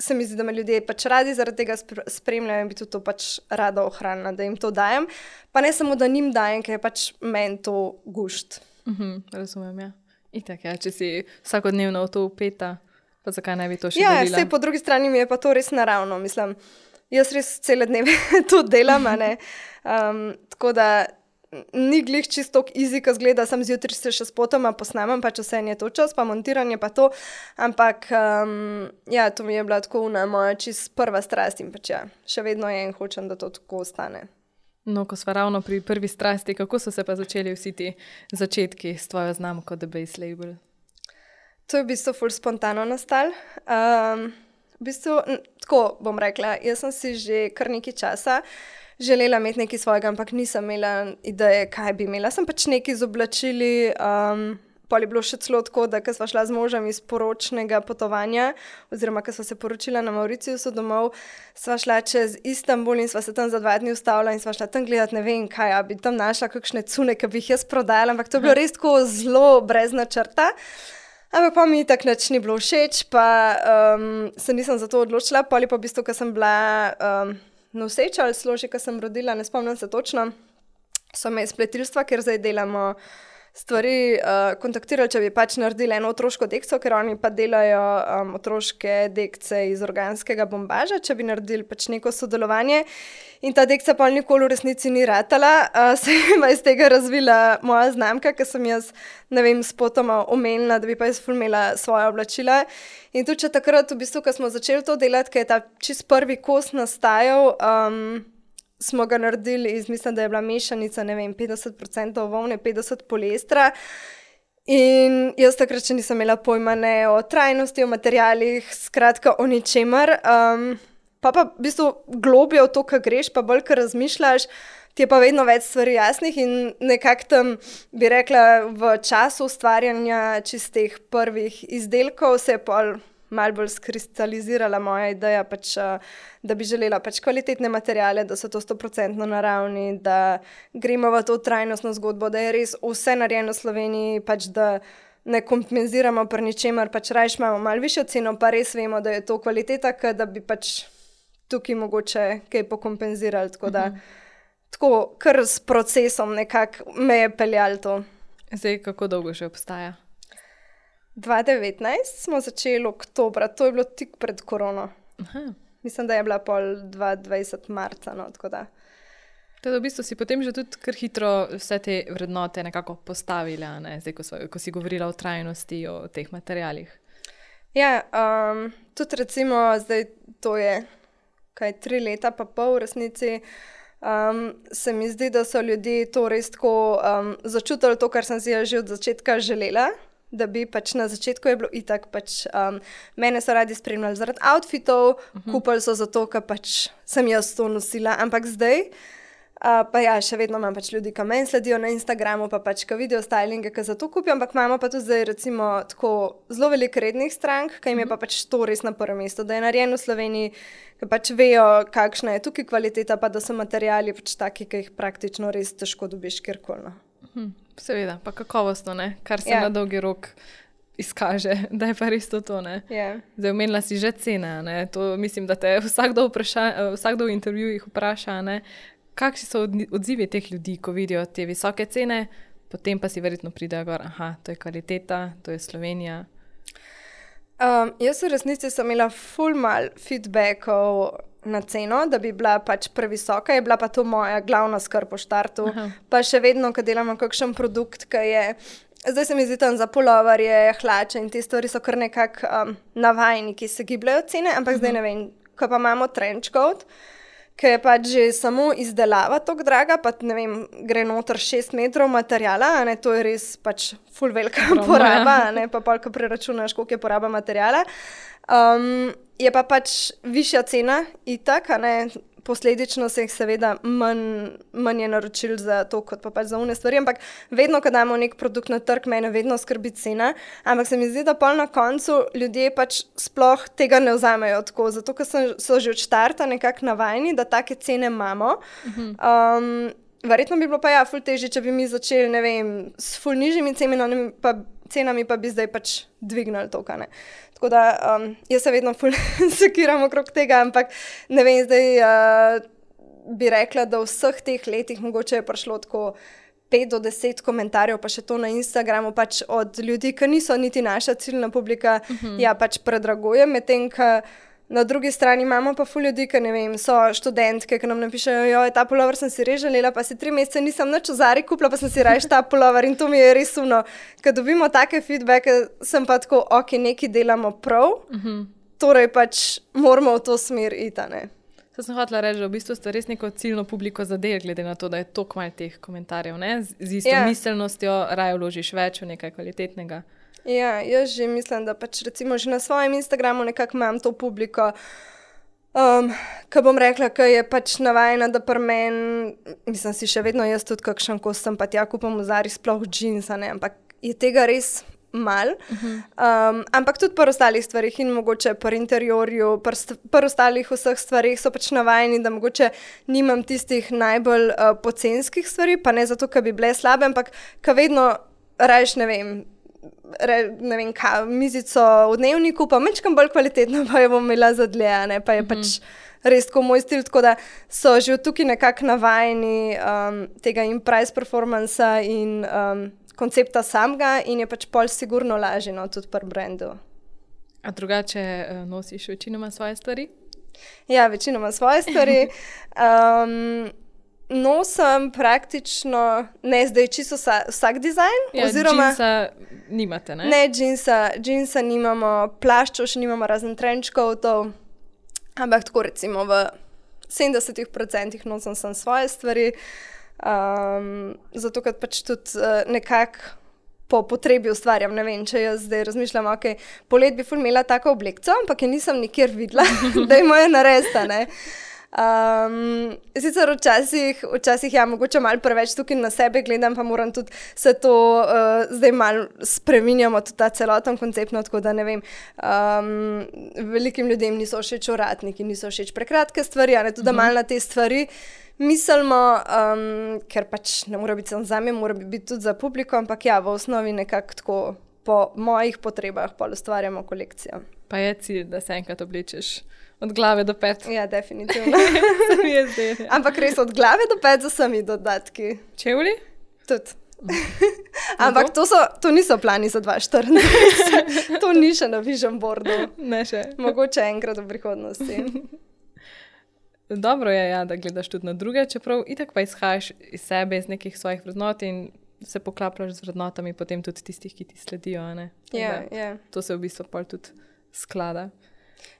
Speaker 1: se mi zdi, da me ljudje pač radi zaradi tega spremljajo in bi tudi to pač rada ohranila, da jim to dajem. Pa ne samo, da njim dajem, ker je pač meni to gušt.
Speaker 2: Mhm, razumem, ja. Itak, ja, če si vsakodnevno v to upeta, pa zakaj ne bi to še
Speaker 1: ja,
Speaker 2: delila?
Speaker 1: Ja, po drugi strani mi je pa to res naravno, mislim. Jaz res cele dneve to delam, a ne. Um, tako da ni glih čisto easy, ko zgleda, sem zjutraj se še spotoma posnamem, pa če se je to čas, pa montiranje pa to, ampak um, ja, to mi je bila tako una moja čist prva strast in pač ja, še vedno je in hočem, da to tako ostane.
Speaker 2: No, ko sva ravno pri prvi strasti, kako so se pa začeli vsi ti začetki s tvojo znamko The Base Label?
Speaker 1: To je v bistvu ful spontano nastal. Um, v bistvu, tako bom rekla, jaz sem si že kar nekaj časa želela imeti nekaj svojega, ampak nisem imela ideje, kaj bi imela. Sem pač nekaj z oblačili, um, pol je bilo še celo tako, da ko sva šla z možem iz poročnega potovanja, oziroma ko sva se poročila na Mauriciusu domov, sva šla čez Istanbul in sva se tam za dva dni ustavila in sva šla tam gledati, ne vem kaj, a bi tam našla kakšne cune, ki bi jih jaz prodajala, ampak to je bilo res tako zelo brez načrta. Ampak pa mi tak nič ni bilo všeč, pa um, se nisem za to odločila, pol je pa v bistvu, ko sem bila um, noseča ali složi, ko sem rodila, ne spomnim se točno, so me iz pletilstva, ker zdaj delamo stvari, uh, kontaktirali, če bi pač naredili eno otroško dekco, ker oni pa delajo um, otroške dekce iz organskega bombaža, če bi naredili pač neko sodelovanje. In ta dekca pa nikoli v resnici ni ratala, uh, se je pa iz tega razvila moja znamka, ker sem jaz, ne vem, spotoma omenila, da bi pa jaz fulmela svoje oblačila. In tudi če takrat, v bistvu, ko smo začeli to delati, ker je ta čist prvi kos nastajal, um, smo ga naredili iz, mislim, da je bila mešanica, ne vem, petdeset procentov volne, petdeset poliestra. In jaz takrat še nisem imela pojma ne o trajnosti, o materialih, skratka o ničemer. Um, pa pa v bistvu globje v to, ko greš, pa bolj, ko razmišljaš, ti je pa vedno več stvari jasnih in nekako tam, bi rekla, v času ustvarjanja čistih prvih izdelkov se je pol malo bolj skristalizirala moja ideja, pač, da bi želela pač kvalitetne materiale, da so to sto procentno naravni, da gremo v to trajnostno zgodbo, da je res vse narejeno v Sloveniji, pač da ne kompenziramo pri ničemer, pač rajš imamo malo višjo ceno, pa res vemo, da je to kvaliteta, da bi pač tukaj mogoče kaj pokompenzirali, tako da uh-huh. tako kar s procesom nekako me je peljalo to.
Speaker 2: Zdaj, kako dolgo že obstaja?
Speaker 1: dva tisoč devetnajst smo začeli oktobra, to je bilo tik pred korono. Aha. Mislim, da je bila pol dvajset dvajset marca, no, tako da.
Speaker 2: Teda v bistvu si potem že tudi kar hitro vse te vrednote nekako postavila, ne? Zdaj, ko, so, ko si govorila o trajnosti, o teh materialih.
Speaker 1: Ja, um, tudi recimo zdaj to je kaj tri leta pa pol v resnici, um, se mi zdi, da so ljudje to res tako um, začutili to, kar sem si ja že od začetka želela, da bi pač na začetku je bilo itak, pač um, mene so radi spremljali zaradi outfitov, uh-huh. kupili so zato, ker pač sem jaz to nosila, ampak zdaj Uh, pa ja, še vedno imam pač ljudi, ki meni sledijo na Instagramu, pa pač, ki vidijo stylinge, ki za to kupijo, ampak imamo pa tudi zdaj recimo tako zelo veliko rednih strank, ki jim je pa pač to res na prvem mestu, da je narejeno v Sloveniji, ki pač vejo, kakšna je tukaj kvaliteta, pa da so materiali pač taki, ki jih praktično res težko dobiš kjerkoli.
Speaker 2: Hm, seveda, pa kakovostno, ne? Kar se
Speaker 1: Ja.
Speaker 2: na dolgi rok izkaže, da je pa res to to, ne?
Speaker 1: Ja.
Speaker 2: Zdaj, omenila si že cene, ne? To mislim, da te vsakdo, vpraša, vsakdo v intervjujih vpraša, ne? Kakšni so odzivi teh ljudi, ko vidijo te visoke cene, potem pa si verjetno pridejo gor, aha, to je kvaliteta, to je Slovenija.
Speaker 1: Um, jaz v resnici sem imela ful mal feedbackov na ceno, da bi bila pač previsoka, je bila pa to moja glavna skrb po štartu. Aha. Pa še vedno, ko delamo kakšen produkt, ki je, zdaj se mi zdi tam za puloverje, hlače in te stvari so kar nekako um, navajni, ki se gibljajo cene, ampak uh-huh. zdaj ne vem, ko pa imamo trench coat, ki je pač že samo izdelava tako draga, pa ne vem, gre noter šest metrov materijala, a ne, to je res pač ful velika Broma, poraba, a ne, pa pol, ko preračunaš, koliko je poraba materijala. Um, je pa pač višja cena itak, a ne, posledično se jih seveda manj, manj je naročil za to, kot pa pač za une stvari, ampak vedno, ko damo nek produkt na trg, mene vedno skrbi cena, ampak se mi zdi, da pol na koncu ljudje pač sploh tega ne vzamejo tako, zato ker so že od štarta nekako navajeni, da take cene imamo. Um, verjetno bi bilo pa ja ful težje, če bi mi začeli, ne vem, s ful nižjimi cenami, pa, cenami pa bi zdaj pač dvignili to, kaj ne. Tako da um, jaz se vedno ful sekiram okrog tega, ampak ne vem, zdaj uh, bi rekla, da v vseh teh letih mogoče je prišlo tako pet do deset komentarjev, pa še to na Instagramu, pač od ljudi, ki niso niti naša ciljna publika, uh-huh. ja, pač predraguje, medtem, ki na drugi strani imamo pa ful ljudi, ki ne vem, so študentke, ki nam napišejo, joj, ta pulover sem si res želela, pa si tri mesece nisem nič v Zari kupila, pa sem si raje ta pulover in to mi je res umno. Ker dobimo take feedbacke, sem pa tako, ok, nekaj delamo prav, uh-huh. torej pač moramo v to smer iti, ne.
Speaker 2: To sem hotela reči, da v bistvu ste res neko ciljno publiko zadeli, glede na to, da je toliko malo teh komentarjev, ne? Z isto yeah. miselnostjo raje vložiš več v nekaj kvalitetnega.
Speaker 1: Ja, jaz že mislim, da pač recimo že na svojem Instagramu nekako imam to publiko, um, ki bom rekla, ki je pač navajena, da pri meni, mislim si še vedno jaz tudi kakšen kos sem pa tja kupam v Zari sploh džinsa, ne, ampak je tega res mal. Uh-huh. Um, ampak tudi pri ostalih stvarih in mogoče pri interiorju, pri, st- pri ostalih vseh stvarih so pač navajeni, da mogoče nimam tistih najbolj uh, pocenskih stvari, pa ne zato, ker bi bile slabe, ampak ker vedno rajš, ne vem, Re, ne vem, kaj, mizico v dnevniku, pa mečkam bolj kvalitetno, pa jo bom imela za dlje, ne, pa je mm-hmm. pač res tako moj stil, tako da so že tukaj nekako navajeni um, tega in price performansa in um, koncepta samega in je pač pol sigurno lažje, no, tudi pri brandu.
Speaker 2: A drugače uh, nosiš večinoma svoje stvari?
Speaker 1: Ja, večinoma svoje stvari. Um, Nosim praktično, ne zdaj čisto vsa, vsak dizajn.
Speaker 2: Ja,
Speaker 1: oziroma,
Speaker 2: džinsa nimate, ne?
Speaker 1: Ne, džinsa, džinsa nimamo, plaščov še nimamo, razen trench coatov, ampak tako recimo v sedemdeset procent nosim sem svoje stvari, um, zato ker pač tudi uh, nekako po potrebi ustvarjam. Ne vem, če jaz zdaj razmišljam, ok, polet bi ful imela tako oblekco, ampak je nisem nikjer videla, da je moja naresta, ne. Um, sicer včasih, včasih ja, mogoče malo preveč tukaj na sebe gledam, pa moram tudi se to uh, zdaj malo spreminjamo, tudi ta celoten koncept, no, tako da ne vem, um, velikim ljudem niso všeč ovratniki, niso všeč prekratke stvari, a ne, tudi uh-huh. malo na te stvari mislimo, um, ker pač ne mora biti samo zame, mora biti tudi za publiko, ampak ja, v osnovi nekako tako po mojih potrebah pa ustvarjamo kolekcijo.
Speaker 2: Pa je cilj, da se enkrat oblečeš od glave do pet.
Speaker 1: Ja, definitivno.
Speaker 2: Se mi je zdaj.
Speaker 1: Ampak res od glave do pet z vsemi dodatki.
Speaker 2: Čevlji?
Speaker 1: Tudi. Ampak to, so, to niso plani za dva tisoč štirinajst. To ni še na vision boardu.
Speaker 2: Ne še.
Speaker 1: Mogoče enkrat v prihodnosti.
Speaker 2: dobro je, ja, da gledaš tudi na druge, čeprav itak pa izhajaš iz sebe, iz nekih svojih vrednot in se poklapljaš z vrednotami potem tudi tistih, ki ti sledijo.
Speaker 1: Ja, yeah, yeah.
Speaker 2: To se v bistvu pol tudi sklada.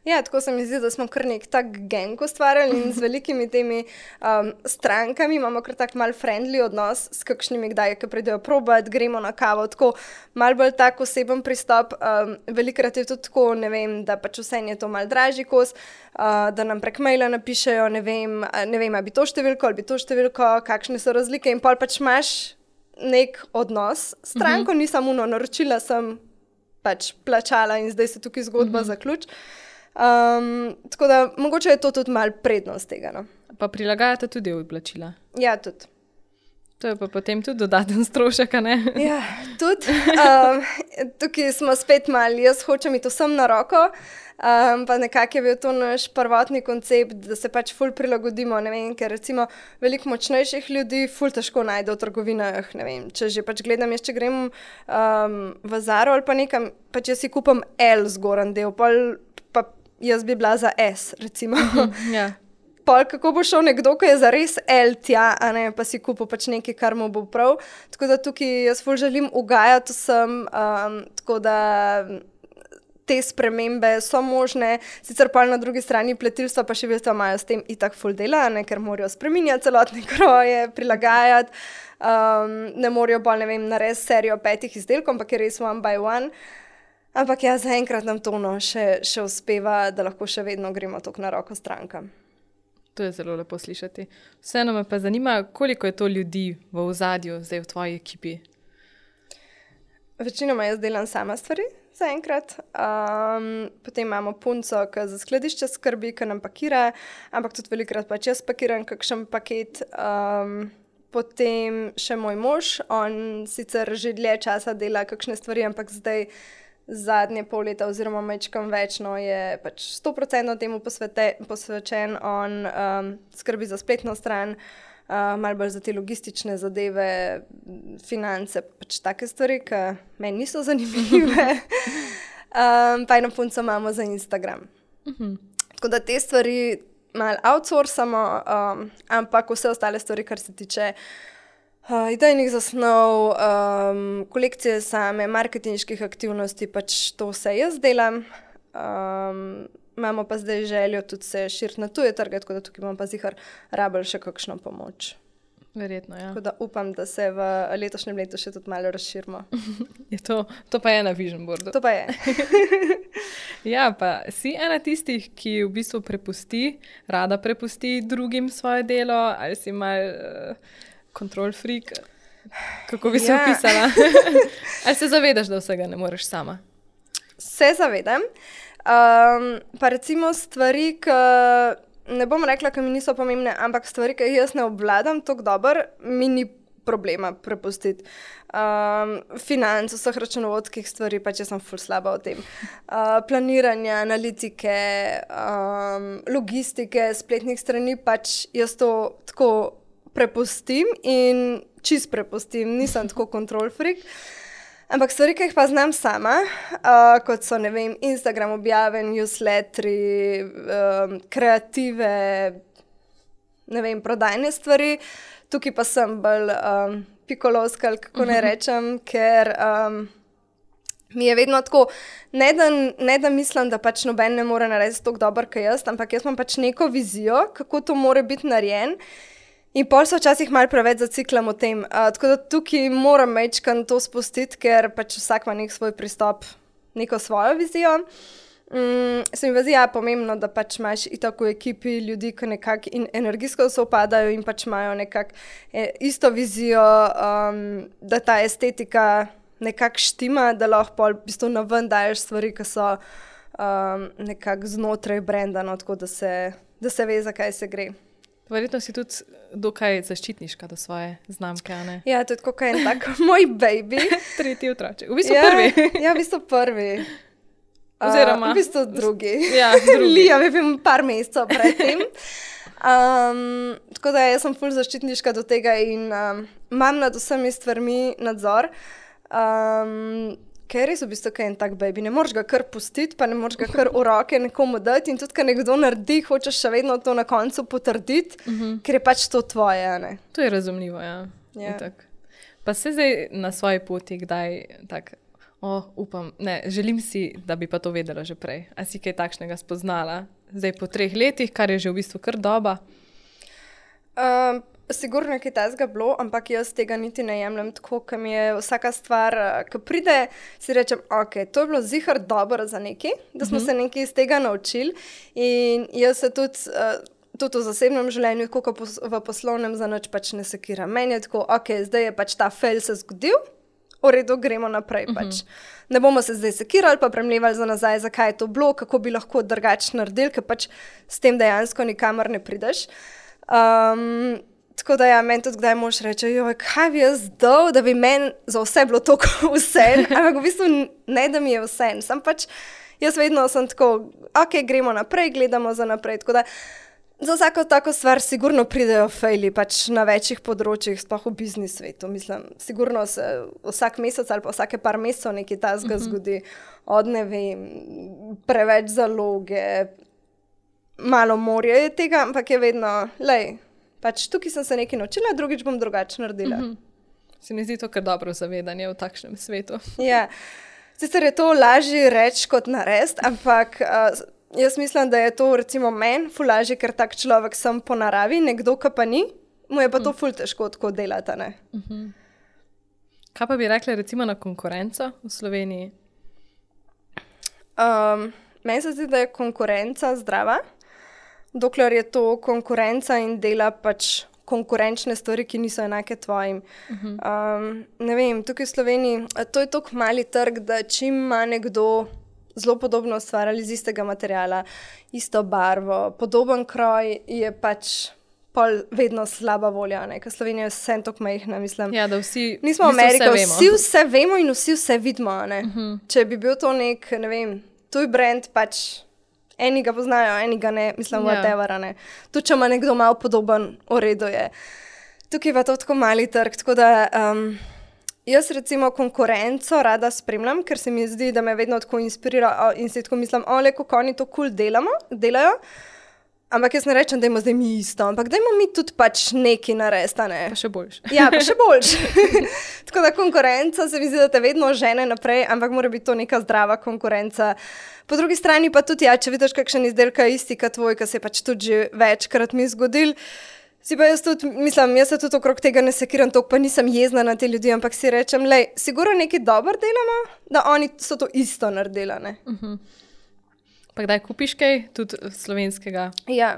Speaker 1: Ja, tako se mi zdi, da smo kar nek tak gang ustvarjali in z velikimi temi um, strankami imamo kar tak mal friendly odnos s kakšnimi kdaj, ki pridejo probat, gremo na kavo, tako mal bolj tak oseben pristop. Um, velikrat je tudi tako, ne vem, da pač vse je to mal dražji kos, uh, da nam prek maila napišejo, ne vem, ne vem, ali bi to številko, ali bi to številko, kakšne so razlike in pol pač imaš nek odnos s stranko, uh-huh. Nisem uno, naročila sem, pač plačala in zdaj se tukaj zgodba uh-huh. zaključ. Um, tako da mogoče je to tudi malo prednost tega. No?
Speaker 2: Pa prilagajate tudi oblačila?
Speaker 1: Ja, tudi.
Speaker 2: To je pa potem tudi dodaten strošek, ne?
Speaker 1: Ja, tudi. Um, tukaj smo spet malo, jaz hočem iti vsem na roko, um, pa nekako je bil to naš prvotni koncept, da se pač ful prilagodimo, ne vem, ker recimo veliko močnejših ljudi ful težko najde v trgovinah, ne vem, če že pač gledam, jaz če grem um, v Zaro ali pa nekam, pač jaz si kupam L zgoran del, pol pa jaz bi bila za S, recimo.
Speaker 2: Ja.
Speaker 1: Pol, kako bo šel nekdo, ki je za res L tja, a ne, pa si kupil pač nekaj, kar mu bo prav. Tako da tukaj jaz ful želim ugajati vsem, um, tako da te spremembe so možne. Sicer pol na drugi strani pletilstva pa še vedno imajo s tem itak ful dela, ne, ker morajo spreminjati celotne kroje, prilagajati. Um, ne morajo bolj, ne vem, narediti serijo petih izdelkov, ampak je res one by one. Ampak ja, zaenkrat nam to no, še, še uspeva, da lahko še vedno gremo tok na roko strankam.
Speaker 2: To je zelo lepo slišati. Vseeno me pa zanima, koliko je to ljudi v ozadju zdaj v tvoji ekipi?
Speaker 1: Večinoma jaz delam sama stvari zaenkrat. Um, potem imamo punco, ki za skladišče skrbi, ki nam pakira, ampak tudi velikrat pač jaz pakiram kakšen paket. Um, potem še moj mož, on sicer že dlje časa dela kakšne stvari, ampak zdaj zadnje pol leta oziroma mečkam večno je pač sto procentov temu posvete, posvečen. On um, skrbi za spletno stran, uh, malo bolj za te logistične zadeve, finance, pač take stvari, ki meni niso zanimive. um, pa eno punco imamo za Instagram. Uh-huh. Tako da te stvari malo outsourcamo, um, ampak vse ostale stvari, kar se tiče Uh, idejnih zasnov, um, kolekcije same, marketinških aktivnosti, pač to vse jaz delam. Um, imamo pa zdaj željo tudi se širiti na tuje trge, tako da tukaj imamo pa zihar rabili še kakšno pomoč.
Speaker 2: Verjetno, ja.
Speaker 1: Tako da upam, da se v letošnjem letu še tudi malo razširimo.
Speaker 2: Je to, to pa je na Vision Boardu.
Speaker 1: To pa je.
Speaker 2: Ja, pa si ena tistih, ki v bistvu prepusti, rada prepusti drugim svoje delo, ali si mal... Uh, control freak, kako bi se ja. opisala? Ali se zavedaš, da vsega ne moreš sama?
Speaker 1: Se zavedam. Um, pa recimo stvari, ki ne bom rekla, ki mi niso pomembne, ampak stvari, ki jaz ne obvladam tako dobro, mi ni problema prepustiti. Um, financ, vseh računovodskih stvari, pa če sem ful slaba o tem. Uh, planiranja, analitike, um, logistike, spletnih strani, pač jaz to tako prepustim in čist prepustim, nisem tako control freak. Ampak stvari, ki jih pa znam sama, uh, kot so, ne vem, Instagram objave, newsletteri, um, kreative, ne vem, prodajne stvari, tukaj pa sem bolj um, pikolovska, kako ne rečem, ker um, mi je vedno tako, ne da, ne da mislim, da pač noben ne more narediti tako dobro, kot jaz, ampak jaz imam pač neko vizijo, kako to more biti narejen. In pol se včasih malo preveč zaciklam o tem. Uh, tako da tukaj moram mečkan to spustiti, ker pač vsak ima nek svoj pristop, neko svojo vizijo. Um, se mi zdi, ja, pomembno, da pač imaš itak v ekipi ljudi, ki nekako energijsko se upadajo in pač imajo nekako eh, isto vizijo, um, da ta estetika nekako štima, da lahko pol v bistvu naven daješ stvari, ki so um, nekako znotraj brenda, no, tako da se, da se ve, zakaj se gre.
Speaker 2: Verjetno si tudi dokaj zaščitniška do svoje znamke, ne?
Speaker 1: Ja, to je tako kaj en tak moj baby.
Speaker 2: Tretji otroček. V bistvu
Speaker 1: ja,
Speaker 2: prvi.
Speaker 1: Ja, v bistvu prvi.
Speaker 2: Oziroma.
Speaker 1: Uh, v bistvu drugi.
Speaker 2: Ja, drugi.
Speaker 1: Liam je bil par mesecev pred tem. Um, tako da jaz sem ful zaščitniška do tega in um, imam nad vsemi stvarmi nadzor. Um, ker je res v bistvu kaj en tak baby. Ne moreš ga kar pustiti, pa ne moreš ga kar v roke nekomu dati in tudi, ko nekdo naredi, hočeš še vedno to na koncu potrditi, uh -huh. ker je pač to tvoje, ne?
Speaker 2: To je razumljivo, ja. Yeah. Pa se zdaj na svoji poti kdaj tak, o, upam, ne, želim si, da bi pa to vedela že prej. A si kaj takšnega spoznala? Zdaj po treh letih, kar je že v bistvu kar doba?
Speaker 1: Um, Sigurno je kaj tazga bilo, ampak jaz tega niti ne jemljem tako, ker mi je vsaka stvar, ko pride, si rečem, ok, to je bilo zihar dobro za nekaj, da smo uh -huh. se nekaj iz tega naučili in jaz se tudi, uh, tudi v zasebnem življenju, tako kot v poslovnem, za nič pač ne sekiram. Meni je tako, ok, zdaj je pač ta fail se zgodil, v redu, gremo naprej pač. Uh -huh. Ne bomo se zdaj sekirali, pa premljevali za nazaj, zakaj je to bilo, kako bi lahko drugače naredili, ker pač s tem dejansko nikamor ne prideš. Um, Tako da ja, meni tudi kdaj mož reče, joj, kaj bi jaz dal, da bi meni za vse bilo tako vse, ampak v bistvu ne, da mi je vse. Sam pač, jaz vedno sem tako, ok, gremo naprej, gledamo za naprej. Tako da za vsako tako stvar sigurno pridejo fejli, pač na večjih področjih, sploh v biznis svetu. Mislim, sigurno se vsak mesec ali pa vsake par mesecev nekaj tazga uh -huh. zgodi, od ne vem, preveč zaloge, malo morja je tega, ampak je vedno, lej, pač tukaj sem se nekaj naučila, drugič bom drugače naredila. Uh-huh.
Speaker 2: Se mi zdi to kar dobro zavedanje v takšnem svetu.
Speaker 1: Ja, sicer je to lažje reči kot narediti, ampak uh, jaz mislim, da je to recimo meni ful lažje, ker tak človek sem po naravi, nekdo, ki pa ni, mu je pa to ful težko tako delati, ne?
Speaker 2: Uh-huh. Kaj pa bi rekla recimo na konkurenco v Sloveniji?
Speaker 1: Um, meni se zdi, da je konkurenca zdrava, dokler je to konkurenca in dela pač konkurenčne stvari, ki niso enake tvojim. Uh-huh. Um, ne vem, tukaj v Sloveniji, to je tako mali trg, da čim ima nekdo zelo podobno ustvarjali iz istega materiala, isto barvo, podoben kroj, je pač pol vedno slaba volja, ne? Ker Slovenija je vsem tako majhna, mislim.
Speaker 2: Ja, da vsi,
Speaker 1: nismo Amerika, vse vsi vse vemo in vsi vse vidimo, ne? Uh-huh. Če bi bil to nek, ne vem, tuj brand, pač eni ga poznajo, eni ga ne, mislim, yeah. whatever, ne. Tudi, če ima nekdo malo podoben, v redu je. Tukaj pa to tako mali trg, tako da um, jaz recimo konkurenco rada spremljam, ker se mi zdi, da me vedno tako inspirira in si tako mislim, ole, kako oni to cool delamo, delajo, ampak jaz ne rečem, dajmo zdaj mi isto, ampak dajmo mi tudi pač nekaj narediti, ne.
Speaker 2: Pa še boljš.
Speaker 1: Ja, pa še boljš. Tako da konkurenca se mi zdi, da te vedno žene naprej, ampak mora biti to neka zdrava konkurenca. Po drugi strani pa tudi, ja, če vidiš kakšen izdelka isti kot tvoj, ki se je pač tudi že večkrat mi zgodil, si pa jaz tudi, mislim, jaz se tudi okrog tega ne sekiram, toliko pa nisem jezna na te ljudi, ampak si rečem, lej, sigurno nekaj dobro delamo, da oni so to isto naredili, ne.
Speaker 2: Uh-huh. Pa kdaj kupiš kaj, tudi slovenskega?
Speaker 1: Ja,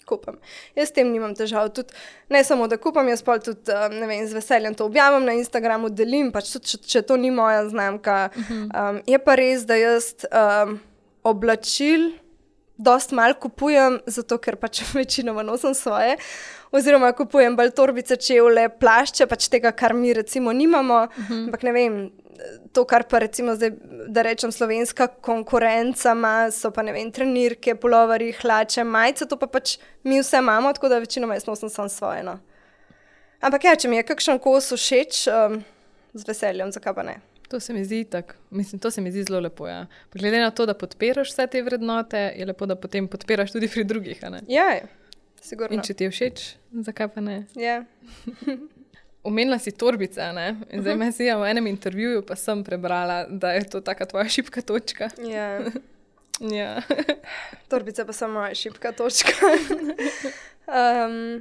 Speaker 1: kupam. Jaz s tem nimam težav, tudi ne samo, da kupam, jaz pa tudi, ne vem, z veseljem to objavim na Instagramu, delim, pač tudi, če, če to ni moja znamka. Uh-huh. Um, je pa res, da jaz um, oblačil dost malo kupujem, zato ker pač večinoma nosim svoje, oziroma kupujem bolj torbice, čevlje, plašče, pač tega, kar mi recimo nimamo, uh-huh. ampak ne vem, to, kar pa recimo zdaj, da rečem, slovenska konkurenca ima, so pa ne vem, trenirke, puloverji, hlače, majice, to pa pač mi vse imamo, tako da večinoma jaz nosim sam svoje, no. Ampak ja, če mi je kakšen kos všeč, um, z veseljem, zakaj pa ne.
Speaker 2: To se mi zdi tako, mislim, to se mi zdi zelo lepo, ja. Glede na to, da podpiraš vse te vrednote, je lepo, da potem podpiraš tudi pri drugih, a ne?
Speaker 1: Ja, sigurno.
Speaker 2: In če ti je všeč, zakaj pa ne?
Speaker 1: Ja.
Speaker 2: Omenila si torbice, ne? In zdaj me si v enem intervjuju pa sem prebrala, da je to taka tvoja šibka točka.
Speaker 1: Ja.
Speaker 2: Ja.
Speaker 1: Torbice pa so moja šibka točka. um,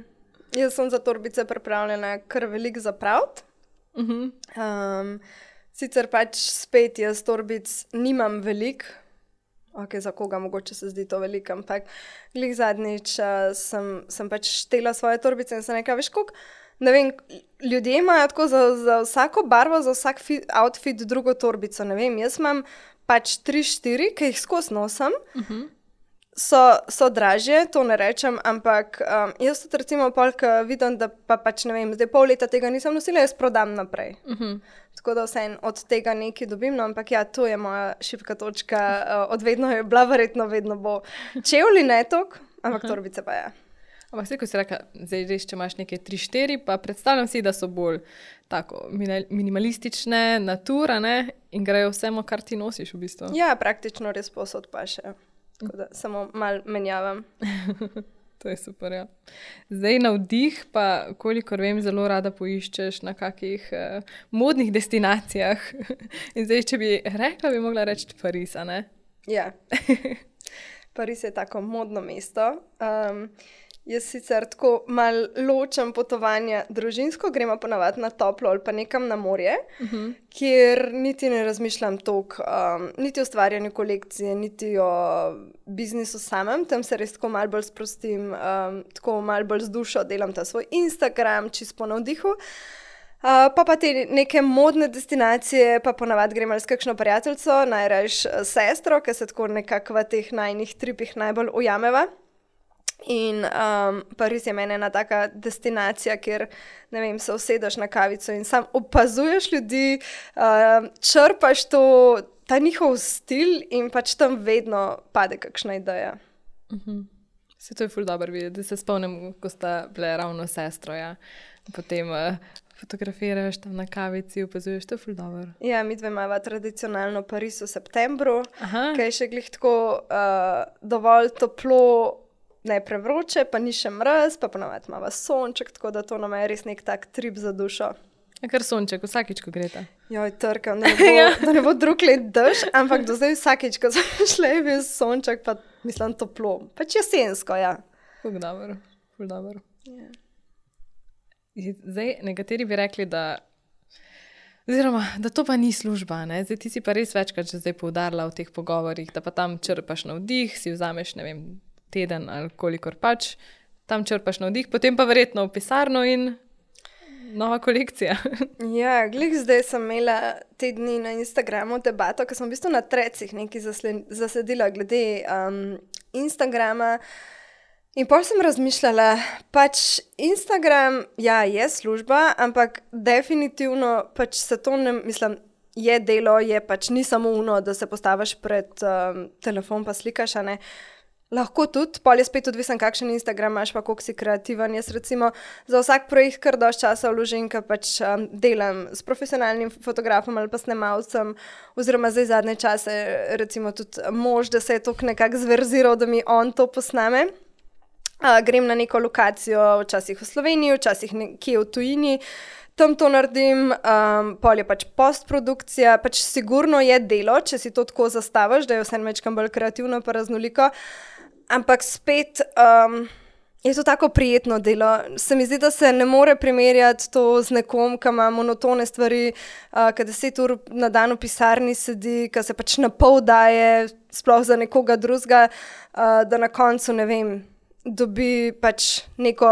Speaker 1: jaz sem za torbice pripravljena kar veliko zapraviti. Uh-huh. Um, sicer pač spet jaz torbic nimam veliko, ok, za koga mogoče se zdi to veliko, ampak glih zadnjič uh, sem, sem pač štela svoje torbice in sem nekaj, veš koliko, ne vem, ljudje imajo tako za, za vsako barvo, za vsak fit, outfit drugo torbico, ne vem, jaz imam pač tri, štiri, ki jih skozi nosim, uh-huh. so, so dražje, to ne rečem, ampak um, jaz tudi recimo polk vidim, da pa pač ne vem, zdaj pol leta tega nisem nosila, jaz prodam naprej. Uh-huh. Tako da vse od tega nekaj dobim, no, ampak ja, to je moja šibka točka, uh, od vedno je bila, verjetno vedno bo. Čevlji ne tok, ampak uh-huh. torbice pa ja.
Speaker 2: Ampak vse, ko si rekla, zdaj res, če imaš neke tri štiri, pa predstavljam si, da so bolj tako minimalistične, natura, ne? In grejo vsemo, kar ti nosiš v bistvu.
Speaker 1: Ja, praktično res posod pa še. Tako da samo mal menjavam.
Speaker 2: To je super, ja. Zdaj na vdih pa, kolikor vem, zelo rada poiščeš na kakih eh, modnih destinacijah. In zdaj, če bi rekla, bi mogla reči Pariz, a ne?
Speaker 1: Ja. Pariz je tako modno mesto. Um, jaz sicer tako mal ločem potovanja družinsko, gremo ponavadi na toplo ali pa nekam na morje, uh-huh. kjer niti ne razmišljam toliko, um, niti o ustvarjanju kolekcije, niti o biznisu samem, tam se res tako mal bolj sprostim, um, tako mal bolj z dušo delam ta svoj Instagram, čisto po navdihu. Uh, pa pa te neke modne destinacije, pa ponavadi gremo s kakšno prijateljico, najrajš sestro, ki se tako nekako v teh najnih tripih najbolj ujameva. In um, Pariz je meni ena taka destinacija, kjer, ne vem, se usedeš na kavico in sam opazuješ ljudi, uh, črpaš to, ta njihov stil in pač tam vedno pade kakšna ideja.
Speaker 2: Uh-huh. Se to je ful dobro videti, da se spomnim, ko sta bile ravno sestro, ja. Potem uh, fotografiraš tam na kavici, opazuješ, to je ful dobro.
Speaker 1: Ja, mi dve imava tradicionalno Pariz v septembru,
Speaker 2: Aha.
Speaker 1: ki je še glih tako uh, dovolj toplo, ne prevroče, pa ni še mraz, pa ponavadi imava sonček, tako da to nam je res nek tak trip za dušo.
Speaker 2: Je kar sonček, vsakič, ko greta.
Speaker 1: Joj, trkam, da ne bo, ja. da ne bo drug let dež, ampak do zdaj vsakič, ko sem šla, je bil sonček, pa mislim toplo. Pač jesensko, ja.
Speaker 2: Ful dobro, ful dobro.
Speaker 1: Yeah.
Speaker 2: Zdaj, nekateri bi rekli, da oziroma, da to pa ni služba, ne? Zdaj ti si pa res večkrat že zdaj poudarila v teh pogovorih, da pa tam črpaš navdih, si vzameš, ne vem, teden ali kolikor pač, tam črpaš navdih, potem pa verjetno v pisarno in nova kolekcija.
Speaker 1: Ja, glih zdaj sem imela te dni na Instagramu debato, ker sem v bistvu na trecih nekaj zasledila glede um, Instagrama in potem sem razmišljala, pač Instagram, ja, je služba, ampak definitivno pač se to ne, mislim, je delo, je pač ni samo uno, da se postaviš pred um, telefon pa slikaš, a ne. Lahko tudi, pol je spet odvisen, kakšen Instagram imaš, pa koliko si kreativen. Jaz recimo za vsak projekt kar dosti časa vložim, ker pač um, delam s profesionalnim fotografom ali pa snemalcem, oziroma zdaj zadnje čase recimo tudi mož, da se je toliko nekako zverziral, da mi on to posname. Uh, grem na neko lokacijo, včasih v Sloveniji, včasih nekje v tujini, tam to naredim, um, pol je pač postprodukcija, pač sigurno je delo, če si to tako zastaviš, da je vse mečkam bolj kreativno pa raznoliko. Ampak spet um, je to tako prijetno delo. Se mi zdi, da se ne more primerjati to z nekom, ki ima monotone stvari, uh, ki deset ur na dan v pisarni sedi, ki se pač na pol daje, sploh za nekoga drugega, uh, da na koncu, ne vem, dobi pač neko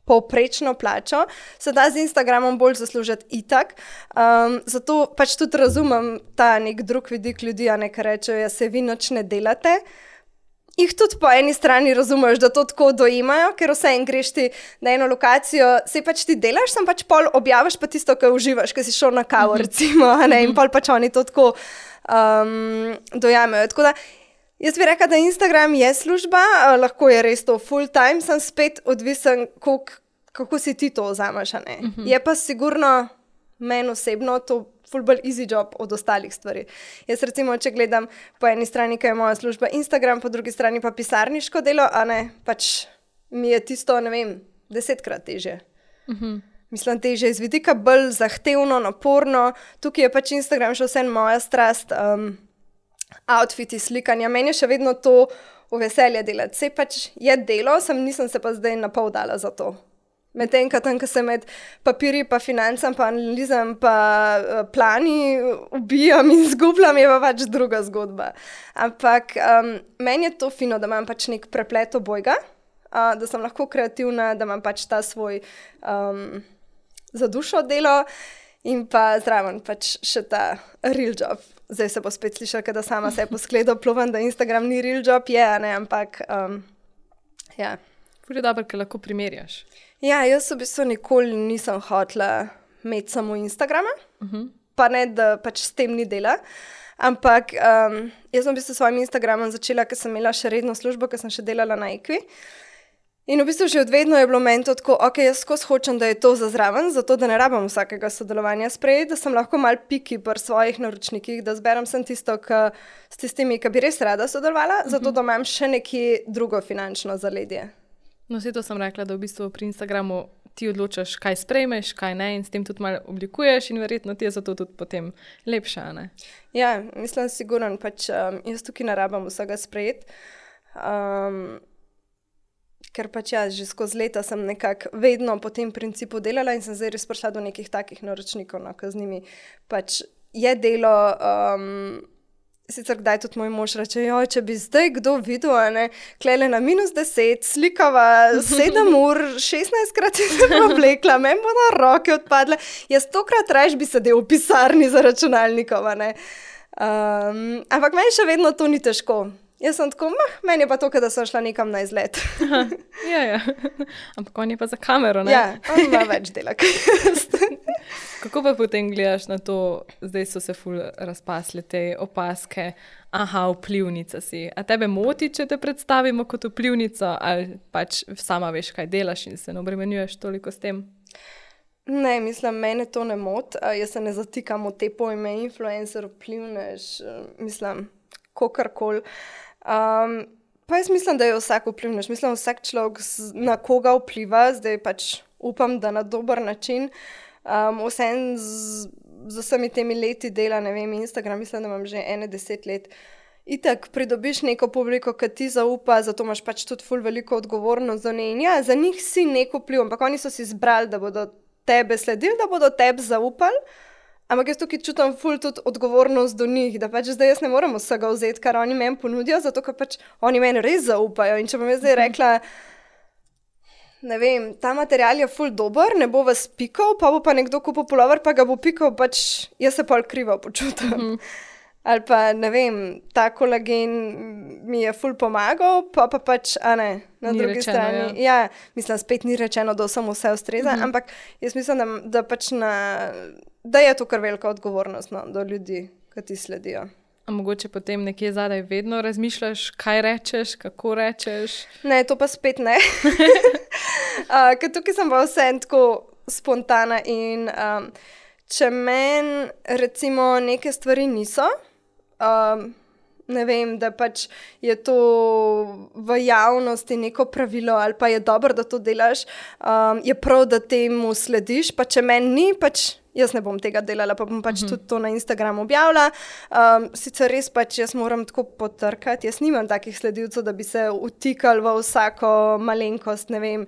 Speaker 1: povprečno plačo. Se da z Instagramom bolj zaslužiti itak. Um, zato pač tudi razumem ta nek drug vidik ljudi, a ne, ki rečejo, ja, se vi nič ne delate. Jih tudi po eni strani razumeš, da to tako dojemajo, ker vse en greš ti na eno lokacijo, se pač ti delaš, sem pač pol objaviš pa tisto, kar uživaš, ker si šel na kavo, recimo, a ne, in pol pač oni to tako um, dojamejo. Tako da jaz bi rekla, da Instagram je služba, lahko je res to full time, sem spet odvisen, kolik, kako si ti to vzameš, a ne. Uh-huh. Je pa sigurno meni osebno to ful bolj easy job od ostalih stvari. Jaz recimo, če gledam po eni strani, kaj je moja služba Instagram, po drugi strani pa pisarniško delo, a ne, pač mi je tisto, ne vem, desetkrat težje. Uh-huh. Mislim, težje iz vidika, bolj zahtevno, naporno. Tukaj je pač Instagram še vsem moja strast, um, outfiti, slikanja. Meni je še vedno to v veselje delati. Sej pač je delo, sem nisem se pa zdaj napol dala za to. Medtem, ko tam, ko se med papirji, pa financam, pa analizam, pa uh, plani ubijam in zgubljam, je pa pač druga zgodba. Ampak um, meni je to fino, da imam pač nek preplet obojga, uh, da sem lahko kreativna, da imam pač ta svoj um, za dušo delo in pa zraven pač še ta real job. Zdaj se bo spet slišala, da sama se po skledu plovam, da Instagram ni real job, je, ne, ampak um, ja.
Speaker 2: Ful je dobro, ker lahko primerjaš.
Speaker 1: Ja, jaz v bistvu nikoli nisem hotela imeti samo Instagrama, uh-huh. pa ne, da pač s tem ni dela, ampak um, jaz sem v bistvu s svojim Instagramom začela, ker sem imela še redno službo, ker sem še delala na Equi In v bistvu že od vedno je bilo meni to tako, ok, jaz skozi hočem, da je to za zraven, zato da ne rabim vsakega sodelovanja sprejeti, da sem lahko mal piki pri svojih naročnikih, da zberem sem tisto, k, s tistimi, ki bi res rada sodelovala, uh-huh. zato da imam še neki drugo finančno zaledje.
Speaker 2: No, vse to sem rekla, da v bistvu pri Instagramu ti odločaš, kaj sprejmeš, kaj ne in s tem tudi malo oblikuješ in verjetno ti je zato tudi potem lepša, ne?
Speaker 1: Ja, mislim sigurno, pač um, jaz tukaj ne rabim vsega sprejeti. Um, Ker pač ja, že skozi leta sem nekako vedno po tem principu delala in sem zdaj res prišla do nekih takih naročnikov, no, ko z njimi pač je delo, um, sicer kdaj tudi moj mož reče, joj, če bi zdaj kdo videl, ne, klele na minus deset, slikava sedem ur, šestnajstkrat se sem oblekla, meni bodo roke odpadle, jaz stokrat raje bi sedel v pisarni za računalnikov, ne. Um, ampak meni še vedno to ni težko. Jaz sem tako, mah, meni je pa to, da sem šla nekam na izlet.
Speaker 2: Aha, ja, ja. Ampak on je pa za kamero, ne?
Speaker 1: Ja, on ima več dela.
Speaker 2: Kako pa potem gledaš na to, zdaj so se ful razpasle te opaske, aha, vplivnica si. A tebe moti, če te predstavimo kot vplivnico, ali pač sama veš, kaj delaš in se ne obremenjuješ toliko s tem?
Speaker 1: Ne, mislim, mene to ne moti. Jaz se ne zatikam v te pojme influencer, vplivnež, mislim, kakorkoli. Um, pa jaz mislim, da je vsak vplivnež. Mislim, vsak človek na koga vpliva, zdaj pač upam, da na dober način. Um, vsem z, z vsemi temi leti dela, ne vem, Instagram, mislim, da imam že ene deset let. Itak pridobiš neko publiko, ki ti zaupa, zato imaš pač tudi ful veliko odgovornost za ne. In ja, za njih si neko vpliv, ampak oni so si izbrali, da bodo tebe sledili, da bodo tebi zaupali. Ampak jaz tukaj čutim ful tudi odgovornost do njih, da pač zdaj jaz ne morem vsega vzeti, kar oni meni ponudijo, zato ker pač oni meni res zaupajo. In če bom jaz zdaj rekla, ne vem, ta material je ful dober, ne bo vas pikal, pa bo pa nekdo kupil pulover, pa ga bo pikal, pač jaz se pol krivo počutim. Mm-hmm. Ali pa, ne vem, ta kolagen mi je ful pomagal, pa pa pač, a ne, na
Speaker 2: ni
Speaker 1: drugi
Speaker 2: rečeno,
Speaker 1: strani. Ja. ja, mislim, spet ni rečeno, da vsem vse ustreza, mm-hmm. ampak jaz mislim, da, da pač na... da je to kar velika odgovornost, no, do ljudi, ki ti sledijo.
Speaker 2: A mogoče potem nekje zadaj vedno razmišljaš, kaj rečeš, kako rečeš?
Speaker 1: Ne, to pa spet ne. uh, ker tukaj sem pa vse tako spontana in um, če meni recimo neke stvari niso, um, ne vem, da pač je to v javnosti neko pravilo ali pa je dobro, da to delaš, um, je prav, da temu slediš, pa če meni ni, pač jaz ne bom tega delala, pa bom pač uh-huh. tudi to na Instagramu objavila. Um, sicer res pač jaz moram tako potrkati, jaz nimam takih sledilcev, da bi se utikali v vsako malenkost, ne vem,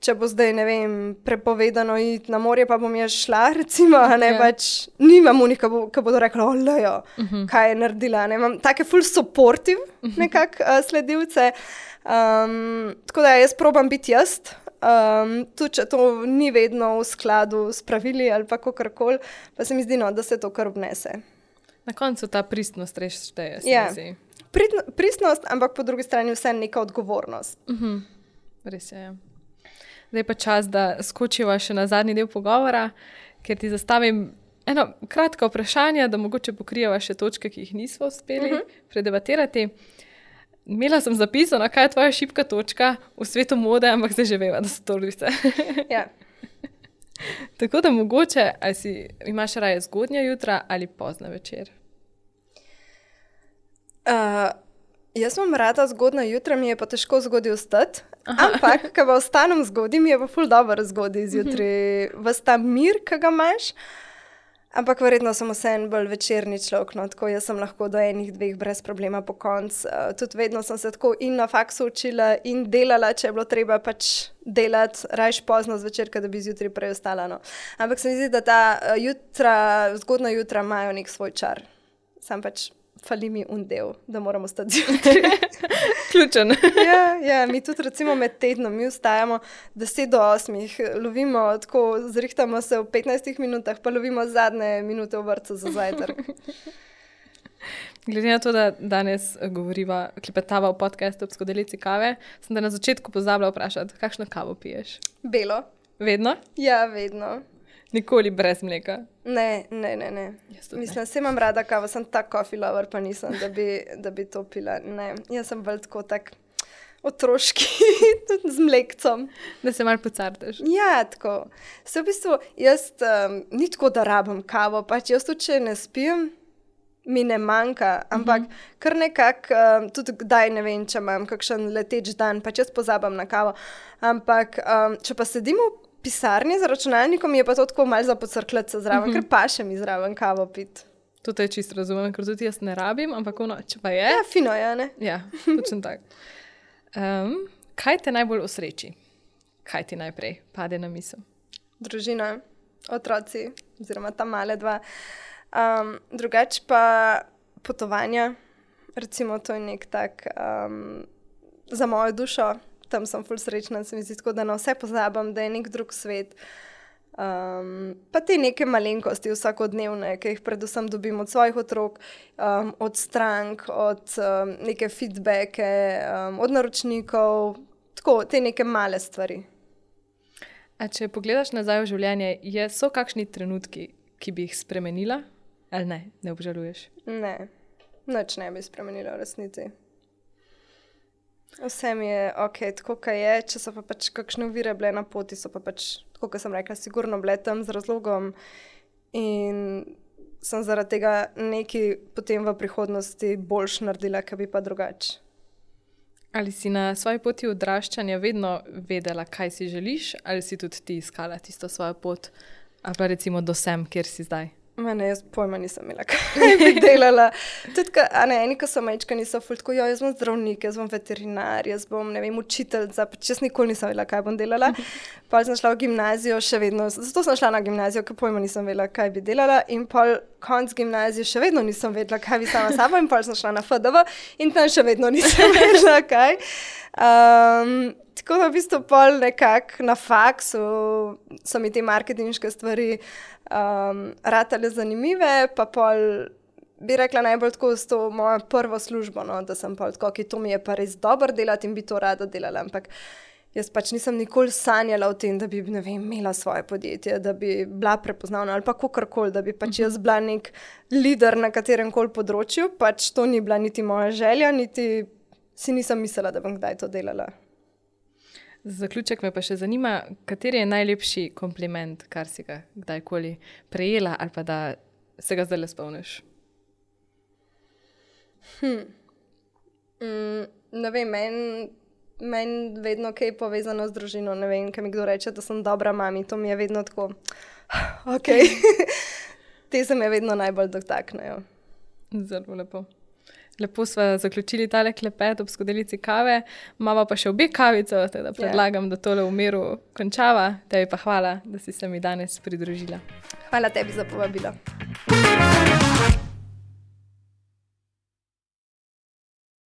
Speaker 1: če bo zdaj, ne vem, prepovedano iti na morje, pa bom jaz šla, recimo, a ne, yeah. pač nimam unih, ki bo, bodo rekli, olejo, uh-huh. kaj je naredila, ne, imam take full supportive nekak uh, sledilce, um, tako da jaz probam biti jaz, Um, tudi, če to ni vedno v skladu s pravili ali pa kakorkoli, pa se mi zdi, no, da se to kar obnese.
Speaker 2: Na koncu ta pristnost res šteje, se
Speaker 1: ja.
Speaker 2: mi zdi.
Speaker 1: Prit, pristnost, ampak po drugi strani vse neka odgovornost.
Speaker 2: Uh-huh. Res je, ja. Zdaj pa čas, da skočiva še na zadnji del pogovora, ker ti zastavim eno kratko vprašanje, da mogoče pokrijeva še točke, ki jih nismo uspeli uh-huh. predebatirati. Imela sem zapisano, kaj je tvoja šibka točka v svetu mode, ampak zdaj že veva, da so to ljubice.
Speaker 1: Ja.
Speaker 2: Tako da mogoče, ali si imaš raje zgodnja jutra ali pozna večer?
Speaker 1: Uh, jaz imam rada zgodna jutra, mi je pa težko zgodaj vstati, ampak, ko pa ostanem zgodaj, mi je pa ful dobro zgodaj zjutraj. Ves ta mir, ki ga imaš, ampak verjetno sem vseeno bolj večerni človek, no, tako jaz sem lahko do enih, dveh brez problema po koncu. Uh, tudi vedno sem se tako in na faksu učila in delala, če je bilo treba pač delati, rajš pozno zvečer, da bi zjutraj prej ostala. No. Ampak se mi zdi, da ta uh, jutra, zgodna jutra imajo nek svoj čar. Sam pač fali mi un del, da moramo stati zjutraj.
Speaker 2: Ključen.
Speaker 1: ja, ja, mi tudi recimo med tednom, mi vstajamo deset do osmih, lovimo tako, zrihtamo se v petnajstih minutah, pa lovimo zadnje minute v vrtcu za zajtrk.
Speaker 2: Glede na to, da danes govoriva, klepetava v podcastu ob skodelici kave, sem da na začetku pozabila vprašati, kakšno kavo piješ?
Speaker 1: Belo.
Speaker 2: Vedno?
Speaker 1: Ja, vedno.
Speaker 2: Nikoli brez mleka?
Speaker 1: Ne, ne, ne, ne. Mislim, se imam rada kavo, sem tak coffee lover, pa nisem, da bi, da bi to pila. Ne, jaz sem bolj tako tak otroški, z mlekcom.
Speaker 2: Da se malo pocartaš.
Speaker 1: Ja, tako. Se v bistvu, jaz um, ni tako, da rabim kavo, pač jaz tudi, če ne spim, mi ne manjka, ampak uh -huh. kar nekako, um, tudi kdaj ne vem, če imam kakšen leteč dan, pač jaz pozabam na kavo. Ampak, um, če pa sedim v pisarni z računalnikom, je pa to tako malo za pocrkljati se zraven, uh -huh. ker pa še mi zraven kavo piti.
Speaker 2: To te čisto razumem, ker tudi jaz ne rabim, ampak ono, če pa je...
Speaker 1: Ja, fino je, ne?
Speaker 2: Ja, točno tak. Um, kaj te najbolj osreči? Kaj ti najprej pade na misel?
Speaker 1: Družina, otroci, oziroma ta male dva. Um, drugače pa potovanja, recimo to je nek tak um, za mojo dušo, tam sem ful srečna, se mi zdi tako, da na vse pozabam, da je nek drug svet. Um, pa te neke malenkosti vsakodnevne, ki jih predvsem dobim od svojih otrok, um, od strank, od um, neke feedbacke, um, od naročnikov, tako te neke male stvari.
Speaker 2: A če pogledaš nazaj v življenje, je, so kakšni trenutki, ki bi jih spremenila? Ali ne, ne obžaluješ?
Speaker 1: Ne, nič ne bi spremenila v resnici. Vse mi je ok, tako kaj je, če so pa pač kakšne ovire bile na poti, so pa pač, tako kot sem rekla, sigurno bile tam z razlogom in sem zaradi tega nekaj potem v prihodnosti boljš naredila, kaj bi pa drugače.
Speaker 2: Ali si na svoji poti odraščanja vedno vedela, kaj si želiš, ali si tudi ti iskala tisto svojo pot, ali pa recimo do sem, kjer si zdaj?
Speaker 1: Mene, jaz pojma nisem imela, kaj bi delala. Tudi, ka, a ne, eni, ko so majčka, niso ful tako, jo, jaz bom zdravnik, jaz bom veterinar, jaz bom, ne vem, učiteljica, pač jaz nikoli nisem vedela, kaj bom delala. Pol sem šla v gimnazijo, še vedno, zato sem šla na gimnazijo, ker pojma nisem vedela, kaj bi delala in pol konc gimnazije še vedno nisem vedela, kaj bi sama sabo in pol sem šla na F D V in tam še vedno nisem vedela, kaj. Um, tako da v bistvu pol nekako na faksu so mi te marketinške stvari um, ratale zanimive, pa pol bi rekla najbolj tako s to mojo prvo službo, no, da sem pol tako, ki to mi je pa res dobro delati in bi to rada delala, ampak jaz pač nisem nikoli sanjala o tem, da bi, ne vem, imela svoje podjetje, da bi bila prepoznavna ali pa kakorkoli, da bi pač jaz bila nek lider na katerem koli področju, pač to ni bila niti moja želja, niti si nisem mislila, da bom kdaj to delala.
Speaker 2: Za zaključek me pa še zanima, kateri je najlepši kompliment, kar si ga kdajkoli prejela ali pa da se ga zdaj le spomniš?
Speaker 1: Hm. Mm, ne vem, meni men vedno kaj je povezano z družino, ne vem, kaj mi kdo reče, da sem dobra mami, to mi je vedno tako, ok, te se me vedno najbolj dotaknejo.
Speaker 2: Zelo lepo. Lepo sva zaključili tale klepet ob skodelici kave, imava pa še obe kavico, teda predlagam, yeah. da tole v miru končava. Tebi pa hvala, da si se mi danes pridružila.
Speaker 1: Hvala tebi za povabilo.